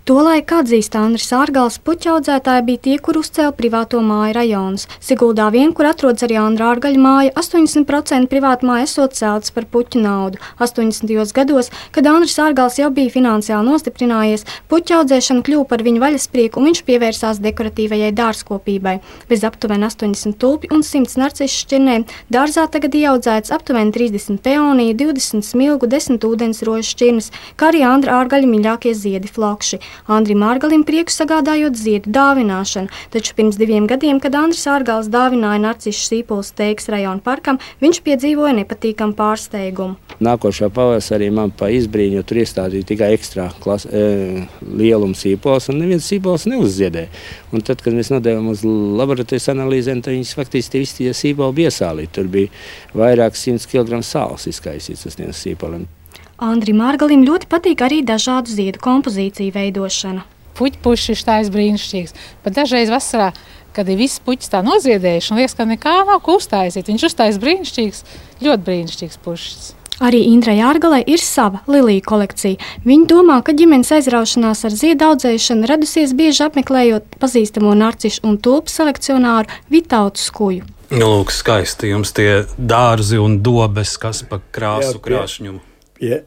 Tolaik atzīst Andris Ārgals, puķu audzētāji bija tie, kur uzcēla privāto māju rajonus. Siguldā vien, kur atrodas arī Andra Ārgaļa māja, astoņdesmit procenti privātu māju esot celtas par puķu naudu. astoņdesmitajos gados, kad Andris Ārgals jau bija finansiāli nostiprinājies, puķu audzēšana kļuva par viņa vaļasprieku, un viņš pievērsās dekoratīvajai dārzkopībai. Bez aptuveni astoņdesmit tulpju un simts narcišu šķirnēm dārzā tagad ieaudzēts aptuveni trīsdesmit peoniju, divdesmit smilgu, desmit ūdensrožu šķirnes, kā arī Andra Ārgaļa mīļākie ziedi flokši. Andrim Ārgalim prieku sagādājot ziedu dāvināšanu, taču pirms diviem gadiem, kad Andris Ārgals dāvināja narcišu sīpolus Teigas rajona parkam, viņš piedzīvoja nepatīkamu pārsteigumu. Nākošā pavasarī man pa izbrīņu tur iestādīja tikai ekstrā klas, e, lieluma sīpols, un neviens sīpols neuzziedēja. Un tad, kad mēs nodevām uz laboratorijas analīzēm, tad viņas faktiski visi tie sīpoli bija iesālīti. Tur bija vairāk simts kilogramu sāls izkaisīts uz tiem sīpoliem. Andrim Ārgalim ļoti patīk arī dažādu ziedu kompozīciju veidošana. Puķpušs ir tāds brīnišķīgs, bet dažreiz vasarā, kad ir viss puķis tā noziedējuši, un liekas, ka nekā nav ko uztaisīt. Viņš uztais brīnišķīgs, ļoti brīnišķīgs pušs. Arī Indrai Ārgalai ir sava liliju kolekcija. Viņa domā, ka ģimenes aizraušanās ar ziedu audzēšanu radusies bieži apmeklējot pazīstamo narcišu un tulpu selekcionāru Vitautu Skuju. Nu, lūk, skaisti jums tie dārzi un dobes, kas pa krāsu jā, krāšņumu. Ja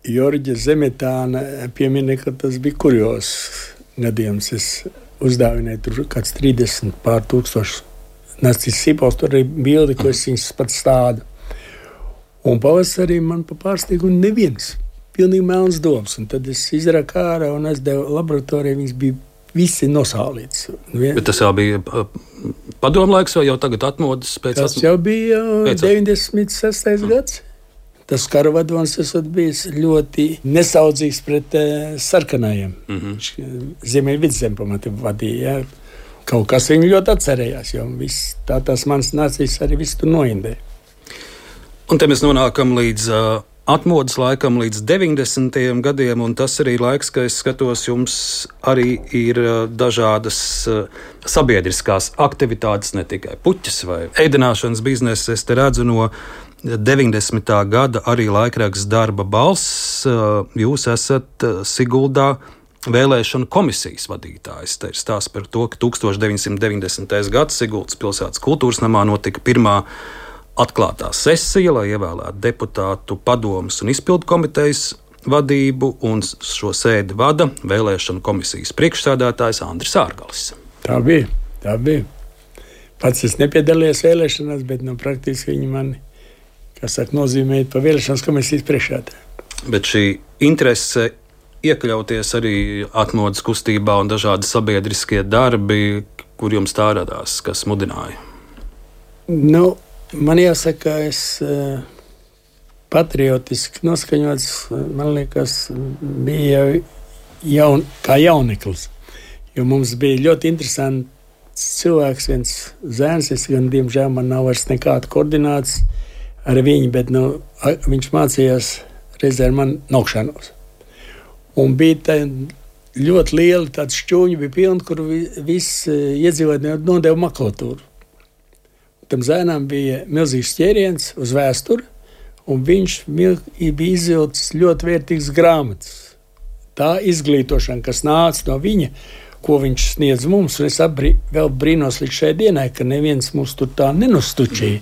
Jorģa Zemetāna piemina, ka tas bija kurjos gadījums. Es uzdāvināju tur kāds trīsdesmit pār tūkstoši narcisu sīpols, tur arī bildi, ko es viņas pat stādu. Un pavasarī man pa pārsteigumu neviens, pilnīgi melns dobs. Un tad es izraku ārā un aizdevu laboratorijā, viņas bija visi nosālīts. Bet tas jau bija padomlaiks vai jau tagad atmodas? Pēc tas jau bija deviņdesmit sestais gads. Tas karavadons esot bijis ļoti nesaudzīgs pret uh, sarkanajiem. Mm-hmm. Ziemeļvidzem pamati vadīja. Ja. Kaut kas viņu ļoti atcerējās, jo viss, tā tās manas nācijas arī viss tur noindēja. Un te mēs nonākam līdz uh, atmodas laikam, līdz deviņdesmitajiem gadiem, un tas arī laiks, ka es skatos, jums arī ir uh, dažādas uh, sabiedriskās aktivitātes, ne tikai puķis vai ēdināšanas biznesa. Es te redzu no deviņdesmitā gada arī laikraksts Darba balss. Jūs esat Siguldā vēlēšanu komisijas vadītājs. Te ir stāsts par to, ka tukstovš deviņsimt deviņdesmitais gads Siguldas pilsētas kultūras namā notika pirmā atklātā sesija, lai ievēlētu deputātu padomes un izpildu komitejas vadību, un šo sēdi vada vēlēšanu komisijas priekšsēdētājs Andris Ārgals. Tā bija, tā bija. Pats es nepiedalījos vēlēšanās, bet nu, praktiski viņi mani kas saka, nozīmēt pa vēlēšanas komisijas priekšsēdētāju. Bet šī interese iekļauties arī atmodas kustībā un dažādi sabiedriskie darbi, kur jums tā radās, kas mudināja? Nu, man jāsaka, es uh, patriotiski noskaņots, man liekas, bija jau jaun, kā jauneklis. Jo mums bija ļoti interesants cilvēks, viens zēns, es gan, diemžēl, man nav vairs nekāda koordināts ar viņu, bet nu, viņš mācījās reizē ar mani nokšanos. Un bija tā ļoti liela tāda šķūņa, bija pilna, kur viss iedzīvotāji nodeva makulatūru. Tam zēnām bija milzīgs ķēriens uz vēsturi, un viņš bija izvilcis ļoti vērtīgas grāmatas. Tā izglītošana, kas nāca no viņa, ko viņš sniedz mums. Un es apbrī, vēl brīnos līdz šai dienai, ka neviens mūs tur tā nenustučīja.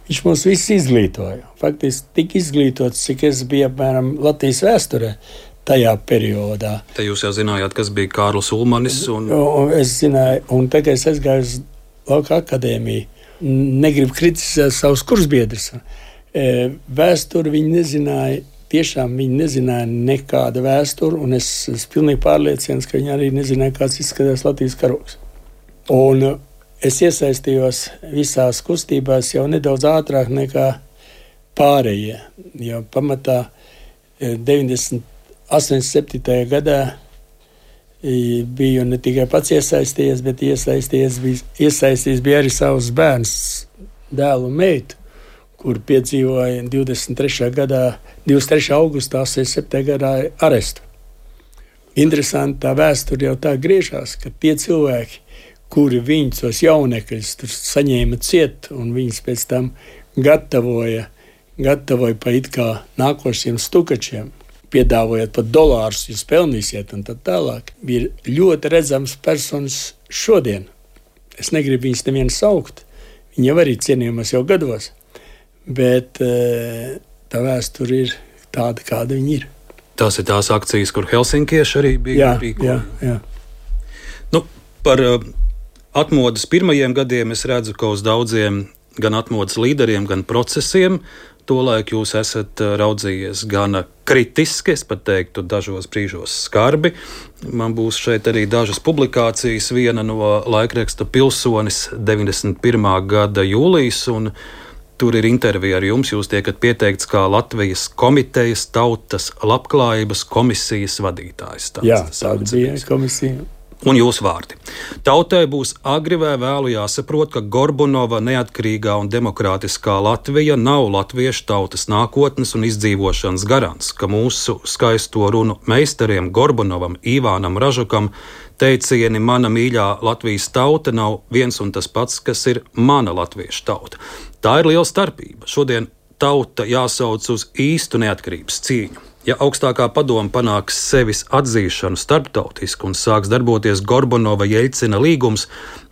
Viņš mūs visus izglītoja. Faktiski tik izglītots, cik es biju apmēram Latvijas vēsturē tajā periodā. Te jūs jau zinājāt, kas bija Kārlis Ulmanis. Un... Un es zināju, un tagad es aizgāju uz Lauka akadēmiju. Negribu kritizēt savus kursbiedrus. Vēsturi viņi nezināja, tiešām viņi nezināja nekāda vēsturi, un es esmu pilnīgi pārliecināts, ka viņi arī nezināja, kāds izskatās Latvijas karogs. Un es iesaistījos visās kustībās jau nedaudz ātrāk nekā pārējie, jo pamatā deviņdesmit septītajā gadā biju ne tikai pats iesaistījies, bet iesaistījies bija, iesaistījies bija arī savus bērns, dēlu un meitu, kur piedzīvoja divdesmit trešajā gadā, divdesmit trešā augustā, astoņdesmit septītajā gadā arestu. Interesanti, tā vēsture jau tā griežās, ka tie cilvēki, kuri viņus tos jaunekļus tur saņēma ciet, un viņus pēc tam gatavoja, gatavoja pa it kā nākošiem stukačiem, piedāvājot pat dolārus, jūs pelnīsiet un tā tālāk, bija ļoti redzams personas šodien. Es negribu viņus nevienu saukt, viņi jau arī cienījumos jau gados, bet tā vēsture ir tāda, kāda viņi ir. Tās ir tās akcijas, kur helsinkieši arī bija rīkoja. Jā, jā. Nu, par uh, atmodas pirmajiem gadiem es redzu, ka uz daudziem gan atmodas līderiem, gan procesiem tolaik jūs esat raudzījies gan kritiski, es pat teiktu, dažos brīžos skarbi. Man būs šeit arī dažas publikācijas, viena no laikraksta Pilsonis deviņdesmit pirmā gada jūlijas, un tur ir intervija ar jums. Jūs tiekat pieteikts kā Latvijas komitejas tautas labklājības komisijas vadītājs. Tāds, Jā, tāda bija komisija. Un jūsu vārdi. Tautai būs agri vai vēlu jāsaprot, ka Gorbunova neatkarīgā un demokrātiskā Latvija nav latviešu tautas nākotnes un izdzīvošanas garants, ka mūsu skaisto runu meistariem Gorbunovam, Ivānam Ražukam teicieni mana mīļā Latvijas tauta nav viens un tas pats, kas ir mana latviešu tauta. Tā ir liela starpība. Šodien tauta jāsauc uz īstu neatkarības cīņu. Ja augstākā padome panāks sevis atzīšanu starptautiski un sāks darboties Gorbunova Jeļcina līgums,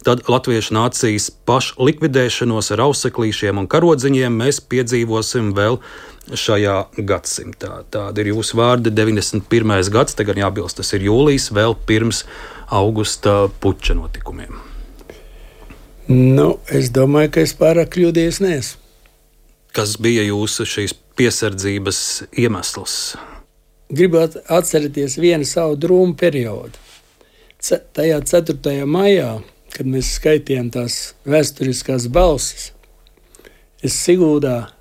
tad latviešu nācijas pašlikvidēšanos ar auseklīšiem un karodziņiem mēs piedzīvosim vēl šajā gadsimtā. Tādi ir jūsu vārdi, deviņdesmit pirmais gads, tagad jābilst, tas ir jūlijas, vēl pirms augusta puča notikumiem. Nu, es domāju, ka es pārāk kļūdījies neesmu. Kas bija jūsu šīs piesardzības iemesls? Gribētu atcerēties vienu savu drūmu periodu. C- tajā ceturtajā maijā, kad mēs skaitījām tās vēsturiskās balsis, es Siguldā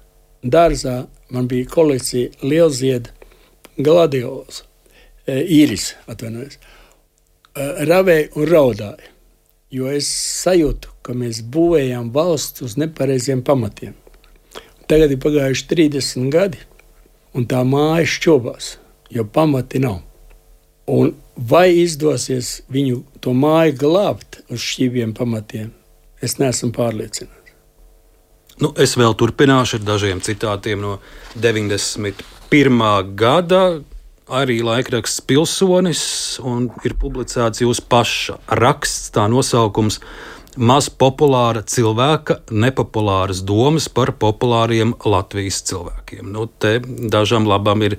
dārzā, man bija kolekcija lielzieda gladiolas, e, īris, atvainojos, e, ravēju un raudāju, jo es sajūtu, ka mēs būvējām valsts uz nepareiziem pamatiem. Tagad ir pagājuši trīsdesmit gadi, un tā māja šķobās, jo pamati nav. Un vai izdosies viņu to māju glābt uz šķībiem pamatiem, es neesmu pārliecināts. Nu, es vēl turpināšu ar dažiem citātiem no deviņdesmit pirmā gada, arī laikraksts Pilsonis, un ir publicēts jūsu paša raksts, tā nosaukums Maz populāra cilvēka nepopulāras domas par populāriem Latvijas cilvēkiem. Nu, te dažam labam ir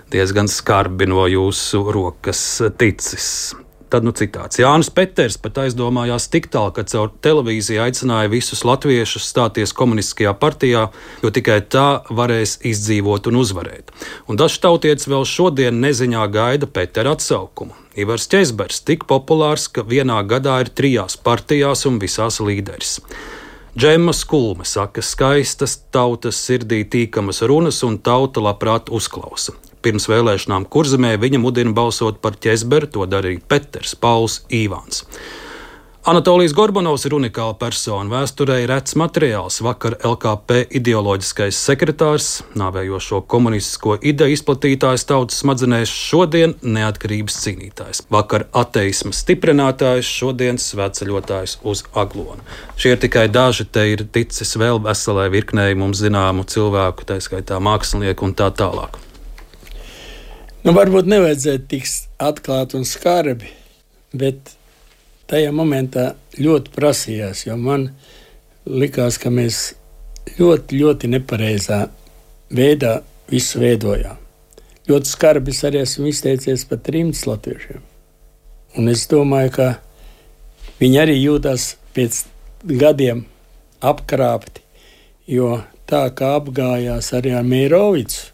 diezgan skarbi no jūsu rokas ticis. Tad nu citāts. Jānis Peters pat aizdomājās tik tālu, ka caur televīziju aicināja visus latviešus stāties komunistiskajā partijā, jo tikai tā varēs izdzīvot un uzvarēt. Un dažs tautietis vēl šodien neziņā gaida Petera atsaukumu. Ivars Ķezbers tik populārs, ka vienā gadā ir trijās partijās un visās līderis. Džemma Skulme saka, skaistas tautas sirdī tīkamas runas un tauta labprāt uzklausa. Pirms vēlēšanām Kurzemē viņa mudina balsot par Ķezberu, to darīja Peters, Pauls, Īvāns. Anatolijs Gorbunovs ir unikāla persona, vēsturē rets materiāls. Vakar L K P ideoloģiskais sekretārs, nāvējošo komunistisko ideju izplatītājs tautas smadzenēs, šodien neatkarības cīnītājs. Vakar ateisma stiprinātājs, šodien svētceļotājs uz Aglonu. Šie ir tikai daži, te ir ticis vēl veselai virknei mums zināmu cilvēku, tā skaitā mākslinieku un tā tālāk. Nu, varbūt nevajadzētu tik atklāt un skarbi, bet tajā momentā ļoti prasījās, jo man likās, ka mēs ļoti, ļoti nepareizā veidā visu veidojām. Ļoti skarbi es arī esmu izteicies par trimdas latviešiem. Un es domāju, ka viņi arī jūtas pēc gadiem apkrāpti, jo tā kā apgājās arī ar Meirovicu,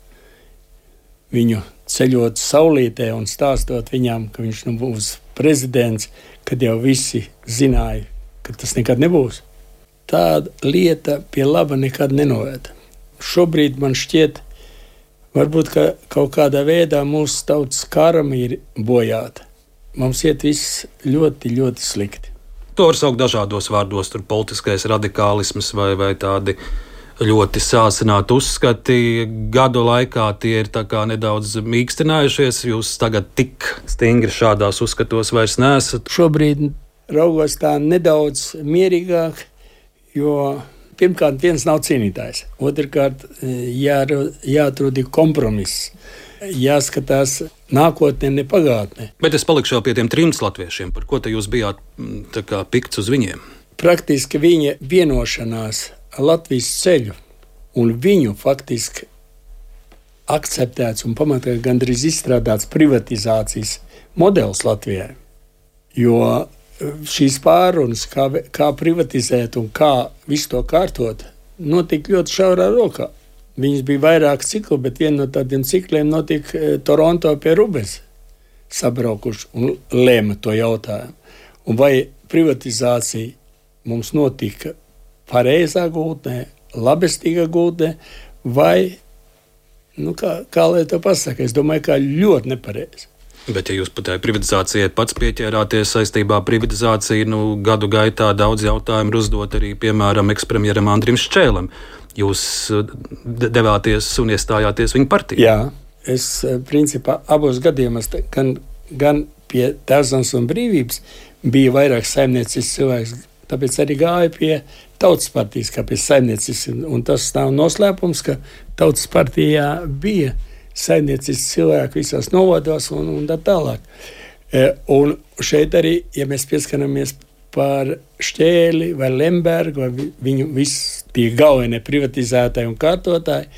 viņu ceļot saulītē un stāstot viņām, ka viņš nu būs prezidents, kad jau visi zināja, ka tas nekad nebūs. Tāda lieta pie laba nekad nenoveda. Šobrīd man šķiet, varbūt ka kaut kādā veidā mūsu tautas karma ir bojāta. Mums iet viss ļoti, ļoti slikti. To var saukt dažādos vārdos, tur politiskais radikālisms vai, vai tādi ļoti sāsināti uzskati. Gadu laikā tie ir tā kā nedaudz mīkstinājušies. Jūs tagad tik stingri šādās uzskatos vairs neesat. Šobrīd raugos tā nedaudz mierīgāk, jo pirmkārt viens nav cīnītājs. Otrkārt jā, jāatrod kompromiss. Jāskatās nākotnē, ne pagātnē. Bet es palikšu jau pie tiem trimdas latviešiem. Par ko te jūs bijāt tā kā pikts uz viņiem? Praktiski viņa vienošanās ar Latvijas ceļu un viņu faktiski akceptēts un pamatā gandrīz izstrādāts privatizācijas modelis Latvijai. Jo šīs pārunas, kā, kā privatizēt un kā visu to kārtot, notika ļoti šaurā rokā. Viņas bija vairāk cikli, bet viena no tādiem cikliem notika Toronto pie Rubens sabraukuši un lēma to jautājumu. Un vai privatizācija mums notika pareizā gultnē, labestīgā gultnē, vai, nu kā, kā lai to pasaka, es domāju, kā ļoti nepareizi. Bet, ja jūs pat tai privatizācijai pats pieķērāties saistībā ar privatizāciju, nu, gadu gaitā daudz jautājumu uzdot arī, piemēram, ekspremjeram Andrim Ščēlam. Jūs devāties un iestājāties viņa partijā. Jā, es principā abos gadījumos, gan, gan pie Tēvzemes un brīvības bija vairāk saimniecisks cilvēks, tāpēc arī gāja pie Tautas partijas, kā pie saimniecisks. Un tas nav noslēpums, ka Tautas partijā bija saimniecisks cilvēki visās novados un, un tā tālāk. Un šeit arī, ja mēs pieskaramies par Šķēli vai Lembergu, vai viņu visi tie galvenie privatizētāji un kārtotāji,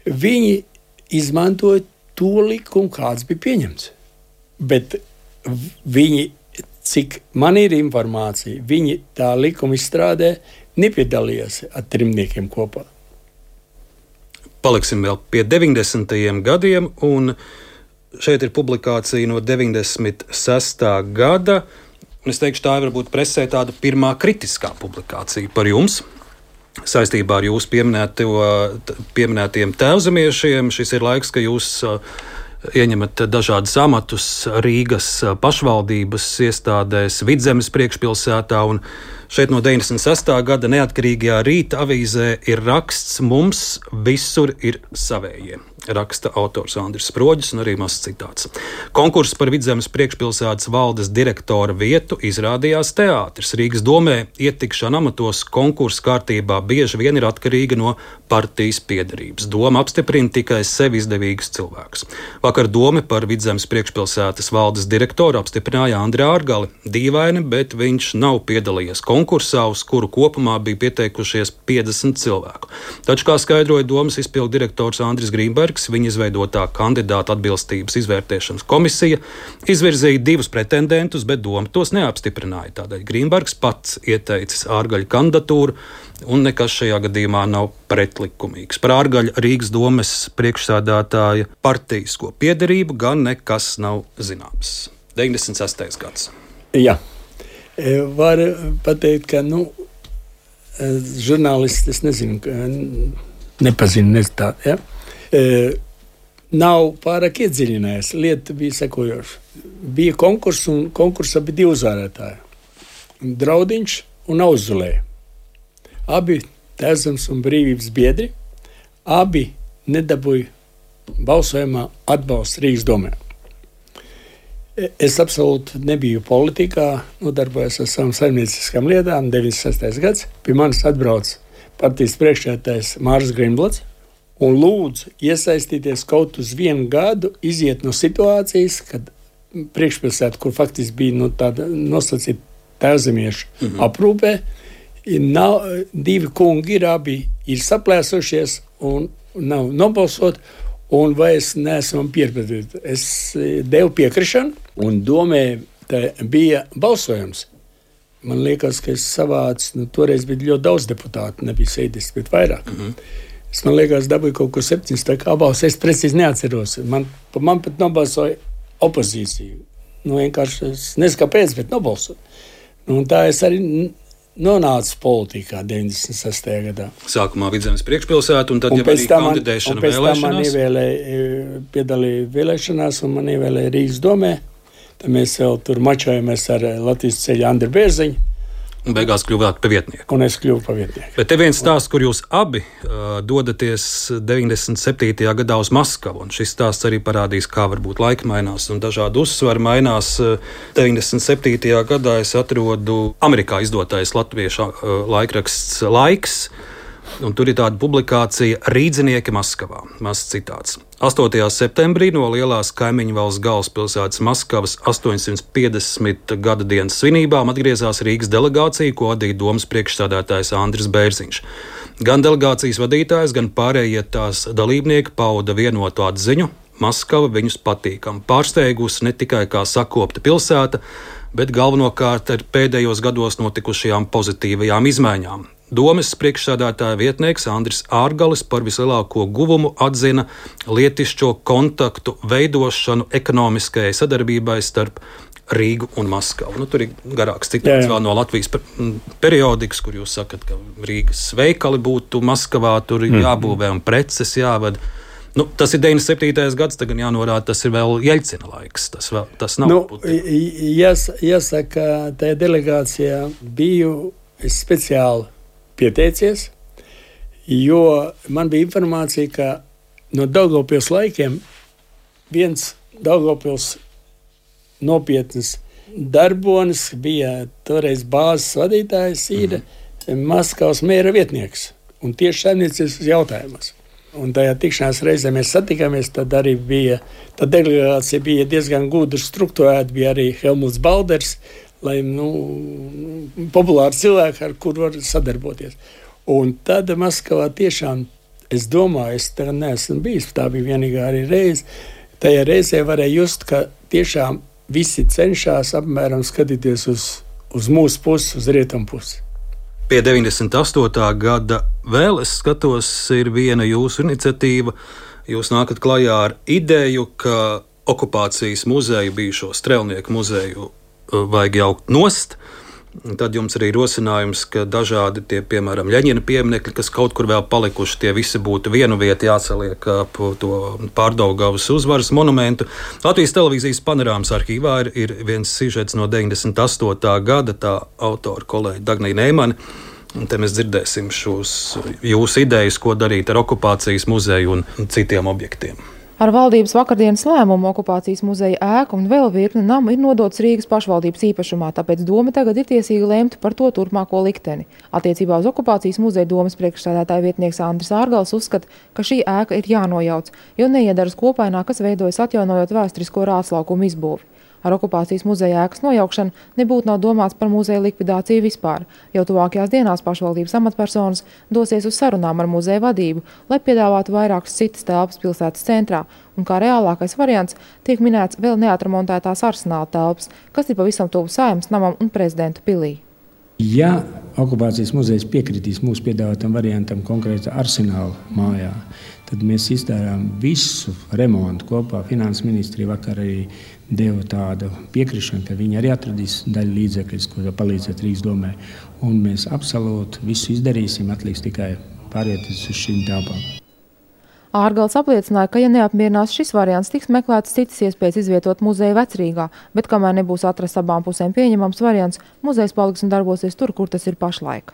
viņi izmantoja to likumu, kāds bija pieņemts. Bet viņi, cik man ir informācija, viņi tā likuma izstrādē nepiedalījās ar trimdniekiem kopā. Paliksim vēl pie deviņdesmitajiem gadiem, un šeit ir publikācija no deviņdesmit sestā gada. Un es teikšu, tā ir varbūt presē tāda pirmā kritiskā publikācija par jums saistībā ar jūsu pieminētiem tēvzemiešiem. Šis ir laiks, ka jūs ieņemat dažādas amatus Rīgas pašvaldības iestādēs, Vidzemes priekšpilsētā, un šeit no deviņdesmit sestā gada Neatkarīgajā Rīta avīzē ir raksts "Mums visur ir savējie". Raksta autors Andris Sproģis un arī mazs citāts. Konkurss par Vidzemes priekšpilsētas valdes direktora vietu izrādījās teātris. Rīgas domē ietikšana amatos konkursa kārtībā bieži vien ir atkarīga no partijas piederības. Doma apstiprina tikai sevi izdevīgus cilvēkus. Vakar doma par Vidzemes priekšpilsētas valdes direktoru apstiprināja Andri Ārgali. Dīvaini, bet viņš nav piedalījies konkursā, uz kuru kopumā bija pieteikušies piecdesmit cilvēku. Taču, kā skaidroja domas izpildu direktors Andris Grīnbergs, viņa izveidotā kandidāta atbilstības izvērtēšanas komisija izvirzīja divus pretendentus, bet doma tos neapstiprināja. Tādēļ Grīnbergs pats ieteicis Ārgaļa kandidatūru, un nekas šajā gadījumā nav pretlikumīgs. Par Ārgaļa Rīgas domes priekšsēdētāja partijisko piederību gan nekas nav zināms. deviņdesmit sestais gads. Jā, var pateikt, ka, nu, žurnālisti, es nezinu, nepazinu, nezinu tādu, ja? E, nav pārāk iedziļinājies. Lieta bija sekojoša. Bija konkurss, un konkursā bija divi uzvarētāji. Draudiņš un Auzulē. Abi Tēvzemes un brīvības biedri, abi nedabūja balsojumā atbalstu Rīgas domē. Es absolūti nebiju politikā, nodarbojos ar savām saimnieciskām lietām. deviņdesmit sestais gads. Pie manis atbrauc partijas priekšsēdētājs Māris Grīnblods un lūdzu iesaistīties kaut uz vienu gadu, iziet no situācijas, kad priekšpilsēta, kur faktiski bija nu, tāda nosacīta tēvzemiešu mm-hmm. aprūpē. Nav, divi kungi ir, abi ir saplēsušies un nav nobalsot, un vai es neesmu pierpēdīt. Es devu piekrišanu, un domē bija balsojums. Man liekas, ka es savācu, nu, toreiz bija ļoti daudz deputātu, nebija sēdis, bet vairāk. Mm-hmm. Es, man liekas, dabūju kaut ko septiņas, tā kā balss, es precīzi neatceros. Man, man pat nobalsoja opozīcija. Nu, vienkārši es nezinu, kāpēc, bet nobalsoja. Nu, un tā es arī nonācu politikā deviņdesmit sestajā gadā. Sākumā Vidzemes priekšpilsētu, un tad un jau arī kandidēšana vēlēšanās. Un pēc tam man vēlēšanās. piedalīja vēlēšanās, un man ievēlēja Rīgas domē. Tad mēs vēl tur mačojamies ar Latvijas ceļu Andru Bērziņu. Un beigās kļuvāt par vietnieku. Un es kļuvu par vietnieku. Bet te viens stāsts, kur jūs abi uh, dodaties deviņdesmit septītajā gadā uz Maskavu. Un šis stāsts arī parādīs, kā varbūt laika mainās un dažādi uzsvari mainās. deviņdesmit septītajā gadā es atrodu Amerikā izdotais latviešu uh, laikraksts Laiks. Un tur ir tāda publikācija Rīdzinieki Maskavā. Mazs citāts. astotajā septembrī no lielās kaimiņu valsts galvaspilsētas Maskavas astoņsimt piecdesmit gada dienas svinībām atgriezās Rīgas delegācija, ko vadīja domas priekšsēdētājs Andris Bērziņš. Gan delegācijas vadītājs, gan pārējie tās dalībnieki pauda vienotu atziņu. Maskava viņus patīkam pārsteigusi ne tikai kā sakopta pilsēta, bet galvenokārt ar pēdējos gados notikušajām pozitīvajām izmaiņām. Domes priekšsēdētāja vietnieks Andris Ārgalis par vislielāko guvumu atzina lietišķo kontaktu veidošanu ekonomiskajai sadarbībai starp Rīgu un Maskavu. Nu, tur ir garāks citāts vēl no Latvijas periodikas, kur jūs sakat, ka Rīgas veikali būtu Maskavā, tur ir jābūvē un preces jāved. Nu, tas ir deviņdesmit septītais gads, tagad jānorāda, tas ir vēl Jeļcina laiks. Tas, vēl, tas nav. Nu, jās, jāsaka, tajā delegācijā biju es speciāli pieteicies, jo man bija informācija, ka no Daugavpils laikiem viens Daugavpils nopietnas darbonis bija toreiz bāzes vadītājs, ir mm. Maskavas mēra vietnieks un tieši saimniecības jautājumos. Un tajā tikšanās reizē mēs satikāmies, tad arī bija, tad delegācija bija diezgan gudri strukturēta, bija arī Helmuts Balders, lai, nu, populāri cilvēki, ar kur var sadarboties. Un tad Maskavā tiešām, es domāju, es tagad neesmu bijis, tā bija vienīgā arī reize, tajā reizē varēja just, ka tiešām visi cenšas apmēram skatīties uz, uz mūsu pusi, uz rietumu pusi. Pie deviņdesmit astotā gada vēl es skatos, ir viena jūsu iniciatīva. Jūs nākat klajā ar ideju, ka okupācijas muzeju, bijušo Strelnieku muzeju, vajag jaukt nost. Tad jums arī rosinājums, ka dažādi tie, piemēram, Ļeņina pieminekļi, kas kaut kur vēl palikuši, tie visi būtu vienu vietu jāsaliek ap to Pārdaugavas uzvaras monumentu. Latvijas televīzijas panorāmas arhīvā ir, ir viens sižets no deviņdesmit astotā gada, tā autora kolēģa Dagnija Neimane. Un te mēs dzirdēsim šos jūsu idejas, ko darīt ar okupācijas muzeju un citiem objektiem. Ar valdības vakardienas lēmumu okupācijas muzeja ēka un vēl virkne namu ir nodots Rīgas pašvaldības īpašumā, tāpēc doma tagad ir tiesīga lemt par to turpmāko likteni. Attiecībā uz okupācijas muzeja domas priekšsēdētāja vietnieks Andris Ārgals uzskata, ka šī ēka ir jānojauc, jo neiedaras kopainā, kas veidojas atjaunojot vēsturisko rātslaukumu izbūvi. Ar okupācijas muzeja ēkas nojaukšanu nebūtu nav domāts par muzeja likvidāciju vispār. Jau tuvākajās dienās pašvaldības amatpersonas dosies uz sarunām ar muzeja vadību, lai piedāvātu vairākas citas telpas pilsētas centrā, un kā reālākais variants tiek minēts vēl neatremontētās Arsenāla telpas, kas ir pavisam tuvu Saeimas namam un Prezidentu pilī. Ja okupācijas muzejs piekritīs mūsu piedāvātam variantam konkrēti Arsenāla mājā, tad mēs izdarām visu remontu kopā. Finanses ministrija vakar arī deva tādu piekrišanu, ka viņi arī atradīs daļu līdzekļus, ko palīdzēt Rīgas domē. Un mēs absolūti visu izdarīsim, atliks tikai pārvieties uz šīm telpām. Ārgals apliecināja, ka, ja neapmierinās šis variants, tiks meklētas citas iespējas izvietot muzeju Vecrīgā, bet kamēr nebūs atrasts abām pusēm pieņemams variants, muzejs paliks un darbosies tur, kur tas ir pašlaik.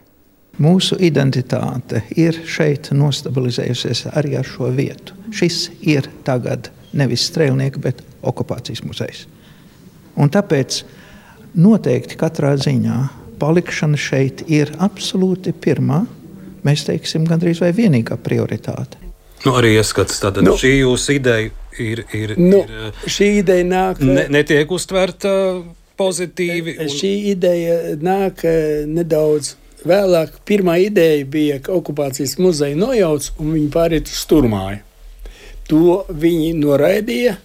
Mūsu identitāte ir šeit nostabilizējusies arī ar šo vietu. Šis ir tagad nevis Strēlnieka, bet okupācijas muzejs. Un tāpēc noteikti katrā ziņā palikšana šeit ir absolūti pirmā, mēs teiksim, gandrīz vai vienīgā prioritāte. Nu, arī ieskats, tātad nu, šī jūsu ideja ir, ir, nu, ir šī ideja nāk, ne, netiek uztverta pozitīvi. Un... Šī ideja nāk nedaudz vēlāk. Pirmā ideja bija, ka okupācijas muzeja nojauc un viņi pāriet uz Turmāju. To viņi noraidīja,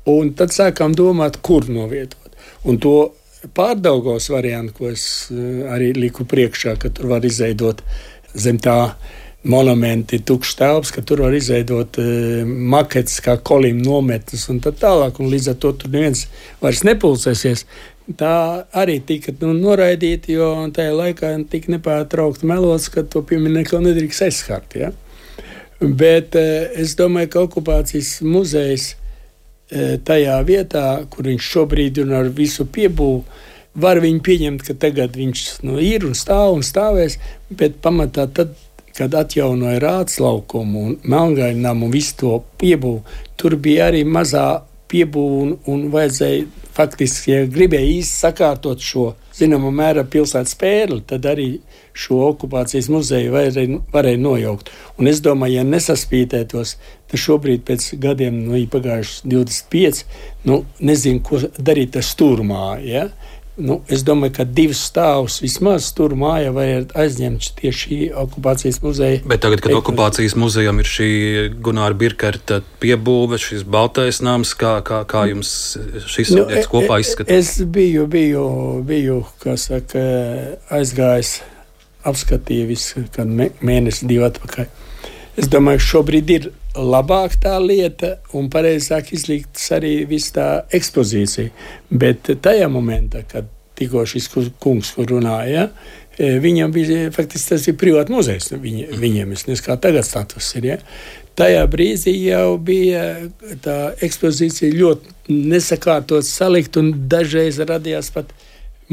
un tad sākām domāt, kur novietot. Un to Pārdaugavas variantu, ko es arī liku priekšā, ka tur var izveidot zem tā monumenti, tukšs telps, ka tur var izveidot uh, maketes kā kolim nometnes un tā tālāk, un līdz ar to tur neviens vairs nepulcēsies. Tā arī tika nu, noraidīta, jo tajā laikā tika nepārtraukti melots, ka to pieminekli nedrīkst aizskart. Ja? Bet uh, es domāju, ka okupācijas muzejs uh, tajā vietā, kur viņš šobrīd ir ar visu piebūvu, var viņu pieņemt, ka tagad viņš nu, ir un stāv un stāvēs, bet pamatā tad, kad atjaunoja Rāts laukumu un Melngaļnamu un visu to piebūvu, tur bija arī mazā piebūve un, un vajadzēja faktiski, ja gribēja īsti sakārtot šo, zināmā mērā, pilsētas pērli, tad arī šo okupācijas muzeju varēja, varēja nojaukt. Un es domāju, ja nesaspītētos, tad šobrīd pēc gadiem, nu, ir pagājuši divdesmit pieci, nu, nezinu, ko darīt ar Stūrmā, ja? Nu, es domāju, ka divus stāvus vismaz tur mājā varētu aizņemt tieši okupācijas muzeja. Bet tagad, kad okupācijas muzejam ir šī Gunāra Birkerta piebūve, šis baltais nams, kā, kā, kā jums šis nu, objekts kopā izskatās? Es biju, biju, biju, kā saka, aizgājis, apskatīju visu, kad mēnesi divi atpakaļ. Es domāju, ka šobrīd ir labāk tā lieta un pareizāk izliktas arī viss tā ekspozīcija. Bet tajā momentā, kad tikko šis kungs runāja, viņam bija, faktiski tas ir privāti muzejs, viņa, viņiem, es nezinu, kā tagad status ir, ja? Tajā brīdī jau bija tā ekspozīcija ļoti nesakārtot salikt un dažreiz radījās pat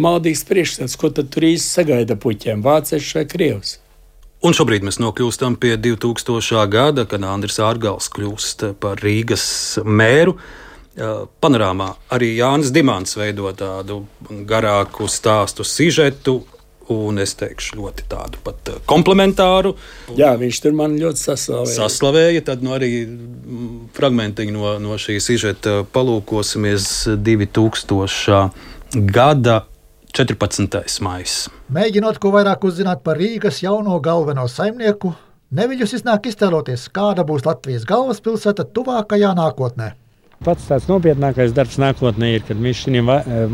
maldīgs priekšstats, ko tad tur īsti sagaida puķiem, vācieši vai krievs. Un šobrīd mēs nokļūstam pie divtūkstošā gada, kad Andris Ārgals kļūst par Rīgas mēru. Panorāmā arī Jānis Dimants veido tādu garāku stāstu sižetu, un es teikšu ļoti tādu pat komplementāru. Jā, viņš tur man ļoti saslavēja. Saslavēja, tad nu arī fragmentiņu no, no šī sižeta palūkosimies divtūkstošā gada četrpadsmitais maijs. Mēģinot ko vairāk uzzināt par Rīgas jauno galveno saimnieku, neviļus iznāk iztēloties, kāda būs Latvijas galvaspilsēta tuvākajā nākotnē. Pats tāds nopietnākais darbs nākotnē ir, kad mēs šī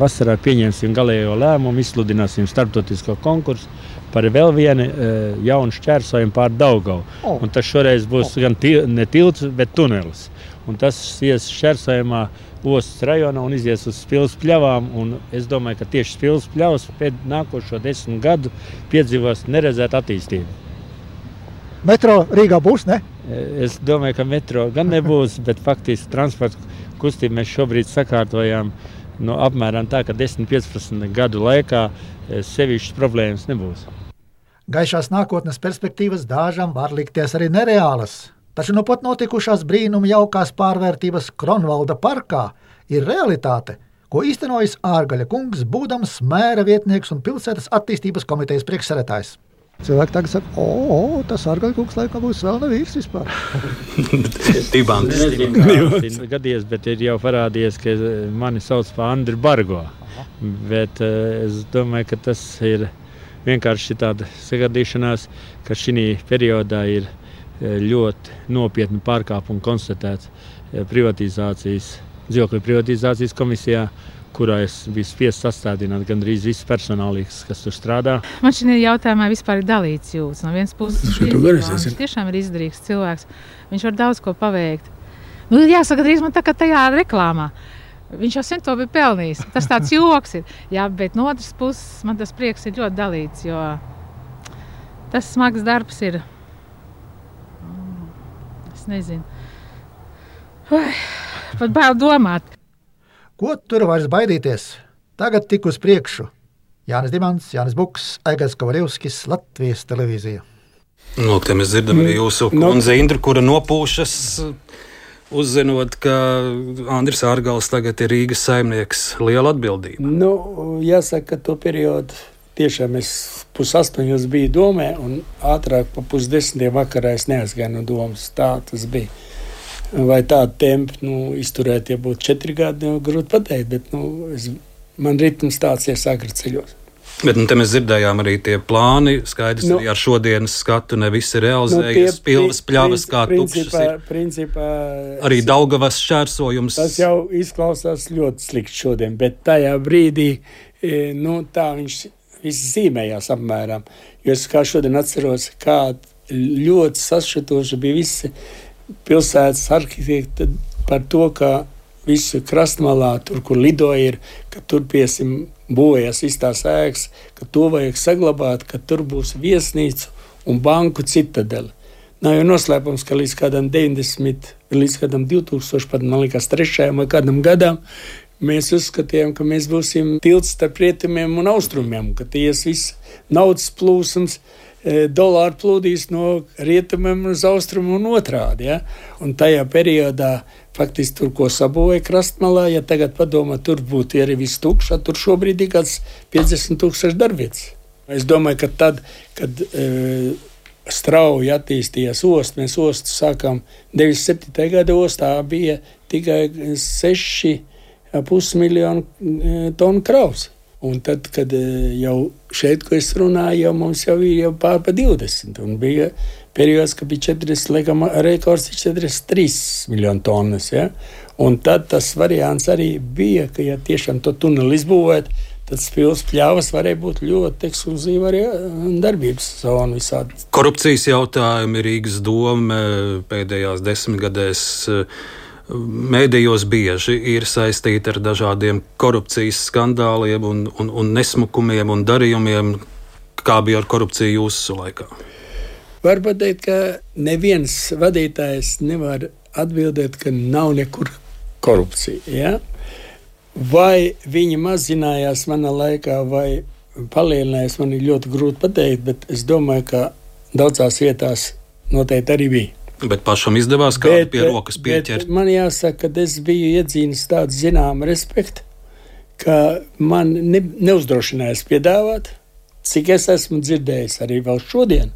vasarā pieņemsim galējo lēmumu, izsludināsim starptautisko konkursu par vēl vienu jaunu šķērsojumu pār Daugavu. Oh. Un tas šoreiz būs oh. gan til, ne tilts, bet tunelis. Un tas ies šķērsojumā Ostas rajonā un izies uz Spils pļavām, un es domāju, ka tieši Spils pļavas pēc nākošo desmit gadu piedzīvos neredzētu attīstību. Metro Rīgā būs, ne? Es domāju, ka metro gan nebūs, bet faktiski transporta kustību mēs šobrīd sakārtojām no apmēram tā, ka desmit līdz piecpadsmit gadu laikā sevišķas problēmas nebūs. Gaišās nākotnes perspektīvas dažam var likties arī nereālas. Taču nu pat notikušās brīnuma jaukās pārvērtības Kronvalda parkā ir realitāte, ko īstenojas Ārgaļa kungs, būdams mēra vietnieks un pilsētas attīstības komitejas priekšsēdētājs. Cilvēki tagad saka, o, o, tas Ārgaļa kungs laikam būs vēl nevīrs vispār. Tibants gadies, bet ir jau parādījies, ka mani sauc par Andri Bargo. Bet es domāju, ka tas ir vienkārši tāda sagadīšanās, ka šī periodā ir ļoti nopietni pārkāpumi konstatēts privatizācijas, dzīvokļu privatizācijas komisijā, kurā es biju spiests sastādināt gandrīz viss personālīgs, kas tur strādā. Man šī jautājumā vispār ir dalīts jūtas. No vienas puses, viņš tiešām ir izdarīgs cilvēks. Viņš var daudz ko paveikt. Nu, jāsaka, drīz man tā kā tajā reklāmā. Viņš jau sen to bija pelnījis. Tas tāds joks ir. Jā, bet no otras puses man tas prieks ir ļoti dalīts, jo tas smags darbs ir. Nezinu. Vai, pat bail domāt. Ko tur vairs baidīties? Tagad tik uz priekšu. Jānis Dimants, Jānis Buks, Aigars Kovaļevskis, Latvijas televīzija. Nu, te mēs dzirdam arī jūsu kundze Indru, kura nopūšas, uzzinot, ka Andris Ārgals tagad ir Rīgas saimnieks. Liela atbildība. Nu, jāsaka, ka to periodu tiešām es pusastoņos biju domē, un ātrāk pa pusdesmitiem vakarā es neaizgāju no domas. Tā tas bija. Vai tādu tempu nu, izturēt, ja būtu četri gadi, nu, grūti pateikt, bet nu, es man ritms tāds ir agri ceļos. Bet nu, te mēs dzirdējām arī tie plāni, skaidrs, nu, arī ar šodienas skatu ne visi realizējas, nu, pilvas pļavas kā tukšas ir. Principā, arī Daugavas šķērsojums. Tas jau izklausās ļoti slikti šodien, bet tajā brīdī, nu, tā viņš viss zīmējās apmēram. Jo es kā šodien atceros, kā ļoti sašķitoši bija visi pilsētas arhitekti par to, ka visu krastmalā, tur, kur lidoja ir, ka tur, piesim, būvējas iztās ēkas, ka to vajag saglabāt, ka tur būs viesnīca un banku citadele. Nav jau noslēpums, ka līdz kādam deviņdesmit, līdz kādam divtūkstoši, pat man liekas trešajam vai kādam gadam, mēs uzskatījām, ka mēs būsim tilts starp rietumiem un austrumiem, ka ties viss naudas plūsums, dolāri plūdīs no rietumiem uz austrumu un otrādi. Ja? Un tajā periodā faktiski tur, ko sabūvēja krastmalā, ja tagad padomā, tur būtu arī viss tukšā, tur šobrīd ir kāds piecdesmit tūkstoši darbvietas. Es domāju, ka tad, kad e, strauji attīstījās osta, mēs ostu sākām deviņdesmit septītajā gada ostā bija tikai seši pusmiljonu tonu kravas. Un tad, kad jau šeit, ko es runāju, jau mums jau ir jau pār pa divdesmit. Un bija periods, ka bija četrdesmit, laikam, rekords ir četrdesmit trīs miljonu tonnas. Ja? Un tad tas variants arī bija, ka, ja tiešām to tuneli izbūvēt, tad pilsētas pļavas varēja būt ļoti ekskluzīva arī darbības zona visādi. Korupcijas jautājumi Rīgas doma pēdējās desmitgadēs mēdījos bieži ir saistīti ar dažādiem korupcijas skandāliem un, un, un nesmukumiem un darījumiem. Kā bija ar korupciju jūsu laikā? Var pateikt, ka neviens vadītājs nevar atbildēt, ka nav nekur korupcija. Ja? Vai viņi mazinājās manā laikā vai palielinājās, man ir ļoti grūti pateikt, bet es domāju, ka daudzās vietās noteikti arī bija. Bet pašam izdevās kādu bet, pie rokas pieķert. Man jāsaka, ka es biju iedzīnis tādu zināmu respektu, ka man ne, neuzdrošinājās piedāvāt, cik es esmu dzirdējis arī vēl šodien,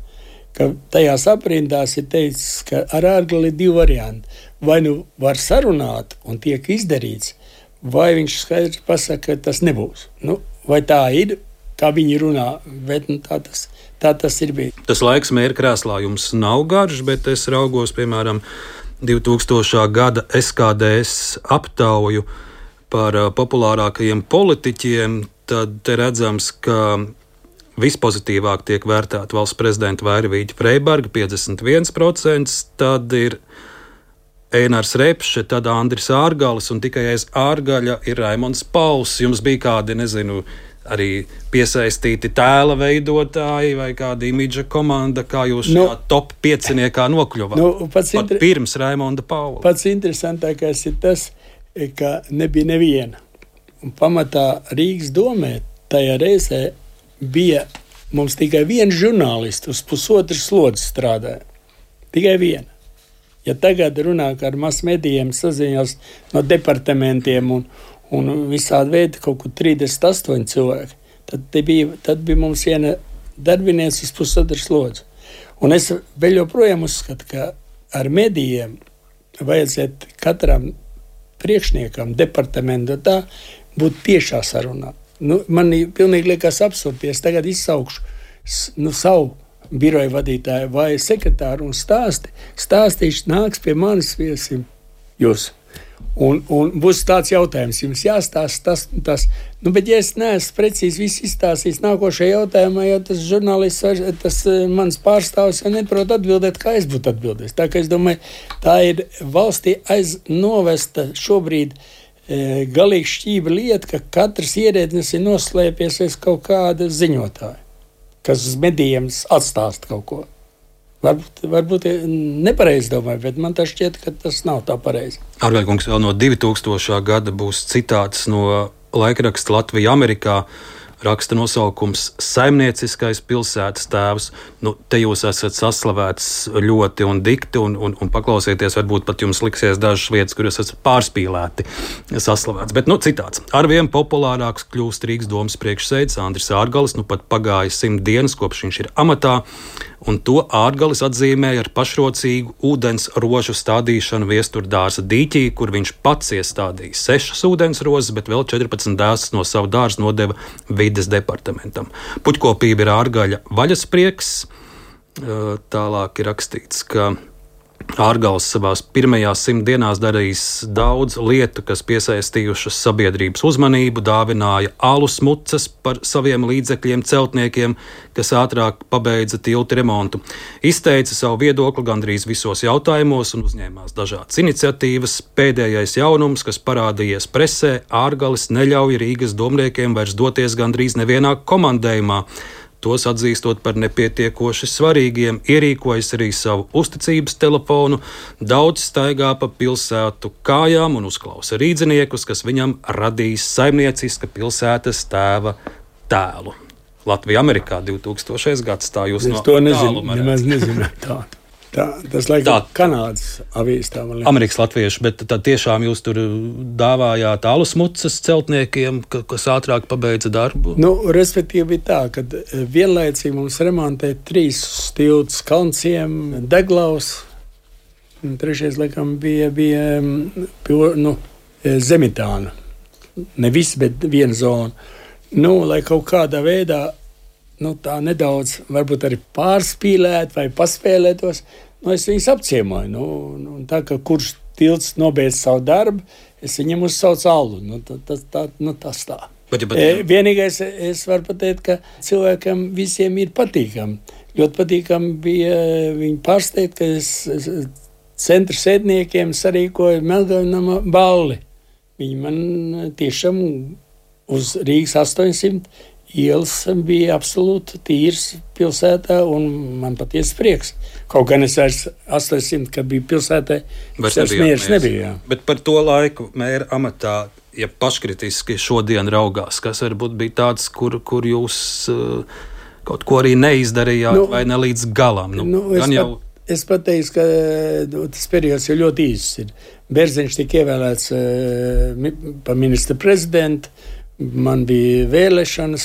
ka tajās aprindās ir teicis, ka ar ārgali ir divi varianti. Vai nu var sarunāt un tiek izdarīts, vai viņš skaidri pasaka, ka tas nebūs. Nu, vai tā ir, kā viņi runā, bet nu, tā tas Tā tas ir bijis. Tas laiks mēra krēslā jums nav garš, bet es raugos, piemēram, divtūkstošā gada S K D S aptauju par populārākajiem politiķiem, tad te redzams, ka vispozitīvāk tiek vērtēta valsts prezidenta Vairvīģa Freiberga piecdesmit viens procents, tad ir Einars Repše, tad Andris Ārgalis un tikai aiz Ārgaļa ir Raimonds Pauls. Jums bija kādi, nezinu, arī piesaistīti tēla veidotāji vai kāda imidža komanda, kā jūs nu, šajā top pieciniekā nokļuvāt? Nu, pats pat inter... pirms Raimonda Paula. Pats interesantākais ir tas, ka nebija neviena. Un pamatā Rīgas domē tajā reizē bija mums tikai viens žurnālists uz pusotras slodzes strādāja. Tikai viena. Ja tagad runā, ka ar masmedijiem saziņās no departamentiem un un visādi veidi kaut kur trīsdesmit astoņi cilvēki, tad bija, tad bija mums viena darbinieca uz pusotras slodzes. Un es vēl joprojām uzskatu, ka ar medijiem vajadzētu katram priekšniekam, departamentu tā, būt tiešā sarunā. Nu, man pilnīgi liekas absurdi, ja es tagad izsaukšu nu, savu biroju vadītāju vai sekretāru un stāsti, stāstīšu nāks pie manis viesim jūs. Un, un būs tāds jautājums, jums jāstāsta tas un tas. Nu, bet ja es neesmu precīzi visu izstāstījis nākošajā jautājumā, jo tas žurnālists, tas mans pārstāvs jau neprot atbildēt, kā es būtu atbildējis. Tā kā es domāju, tā ir valstī aiz novesta šobrīd e, galīgi šķība lieta, ka katrs ierēdnis ir noslēpies aiz kaut kāda ziņotāja, kas uz medijiem atstāsta kaut ko. Varbūt, varbūt nepareizi domāju, bet man tā šķiet, ka tas nav tā pareizi. Ārgaļkungs, vēl no divtūkstošā gada būs citāts no laikraksta Latvija Amerikā. raksta nosaukums Saimnieciskais pilsētas tēvs. Nu, te jūs esat saslavēts ļoti un dikti, un, un, un paklausieties, varbūt pat jums liksies dažas vietas, kur jūs esat pārspīlēti saslavēts. Bet, nu, citāts. Arvien populārāks kļūst Rīgas domas priekšsēdis Andris Ārgalis, nu pat pagāja simt dienas, kopš viņš ir amatā, un to Ārgalis atzīmēja ar pašrocīgu ūdens rožu stādīšanu Viesturdārza dīķī, kur viņš pats iestādīja sešas ūdens rozes, bet vēl četrpadsmit dēsas no savu dārzu nodeva vides departamentam. Puķkopība ir Ārgaļa vaļasprieks. Tālāk ir rakstīts, ka Ārgals savās pirmajās simt dienās darījis daudz lietu, kas piesaistījušas sabiedrības uzmanību, dāvināja alus mucas par saviem līdzekļiem celtniekiem, kas ātrāk pabeidza tiltu remontu. Izteica savu viedokli gandrīz visos jautājumos un uzņēmās dažādas iniciatīvas. Pēdējais jaunums, kas parādījies presē, Ārgalis neļauj Rīgas domniekiem vairs doties gandrīz nevienā komandējumā. Tos atzīstot par nepietiekoši svarīgiem, ierīkojas arī savu uzticības telefonu, daudz staigā pa pilsētu kājām un uzklausa rīdziniekus, kas viņam radīs saimnieciska pilsētas tēva tēlu. Latvija Amerikā divtūkstošais gads, tā jūs es no to nezinu, nemaz nezinu tādu. Tā, tas laikam Kanādas avīzes tā man liekas. Amerikas latvieši, bet tad tiešām jūs tur dāvājāt alus mucas celtniekiem, kas ātrāk pabeidza darbu? Nu, respektīvi tā, kad vienlaicīgi mums remontē trīs tiltus Kalnciem, Deglaus, un trešais laikam bija, bija nu, Zemitāna. Ne viss, bet viena zona. Nu, lai kaut kādā veidā nu, tā nedaudz, varbūt arī pārspīlēt vai paspēlētos, nu, es viņus apciemoju. Nu, nu, tā, ka kurš tilts nobeidz savu darbu, es viņam uzsaucu allu. Nu, tas tā, nu, tas tā. Bet, bet, e, vienīgais, es varu pateikt, ka cilvēkam visiem ir patīkami. Ļoti patīkami bija viņi pārsteigt, ka es, es centra sēdniekiem sarīkoju Melnkalnama balli. Viņi man tiešām uz Rīgas astoņsimt ielas bija absolūti tīrs pilsētā, un man patiesi prieks. Kaut gan es vairs astoņsimt, kad bija pilsētā, tas mieres nebija. Bet par to laiku mēra amatā, ja paškritiski šodien raugās, kas varbūt bija tāds, kur, kur jūs uh, kaut ko arī neizdarījāt, nu, vai ne līdz galam? Nu, nu, es, jau... pat, es pat teiktu, ka nu, tas periods jau ļoti īsts ir. Bērziņš tika ievēlēts uh, par ministra prezidentu. Man bija vēlēšanas,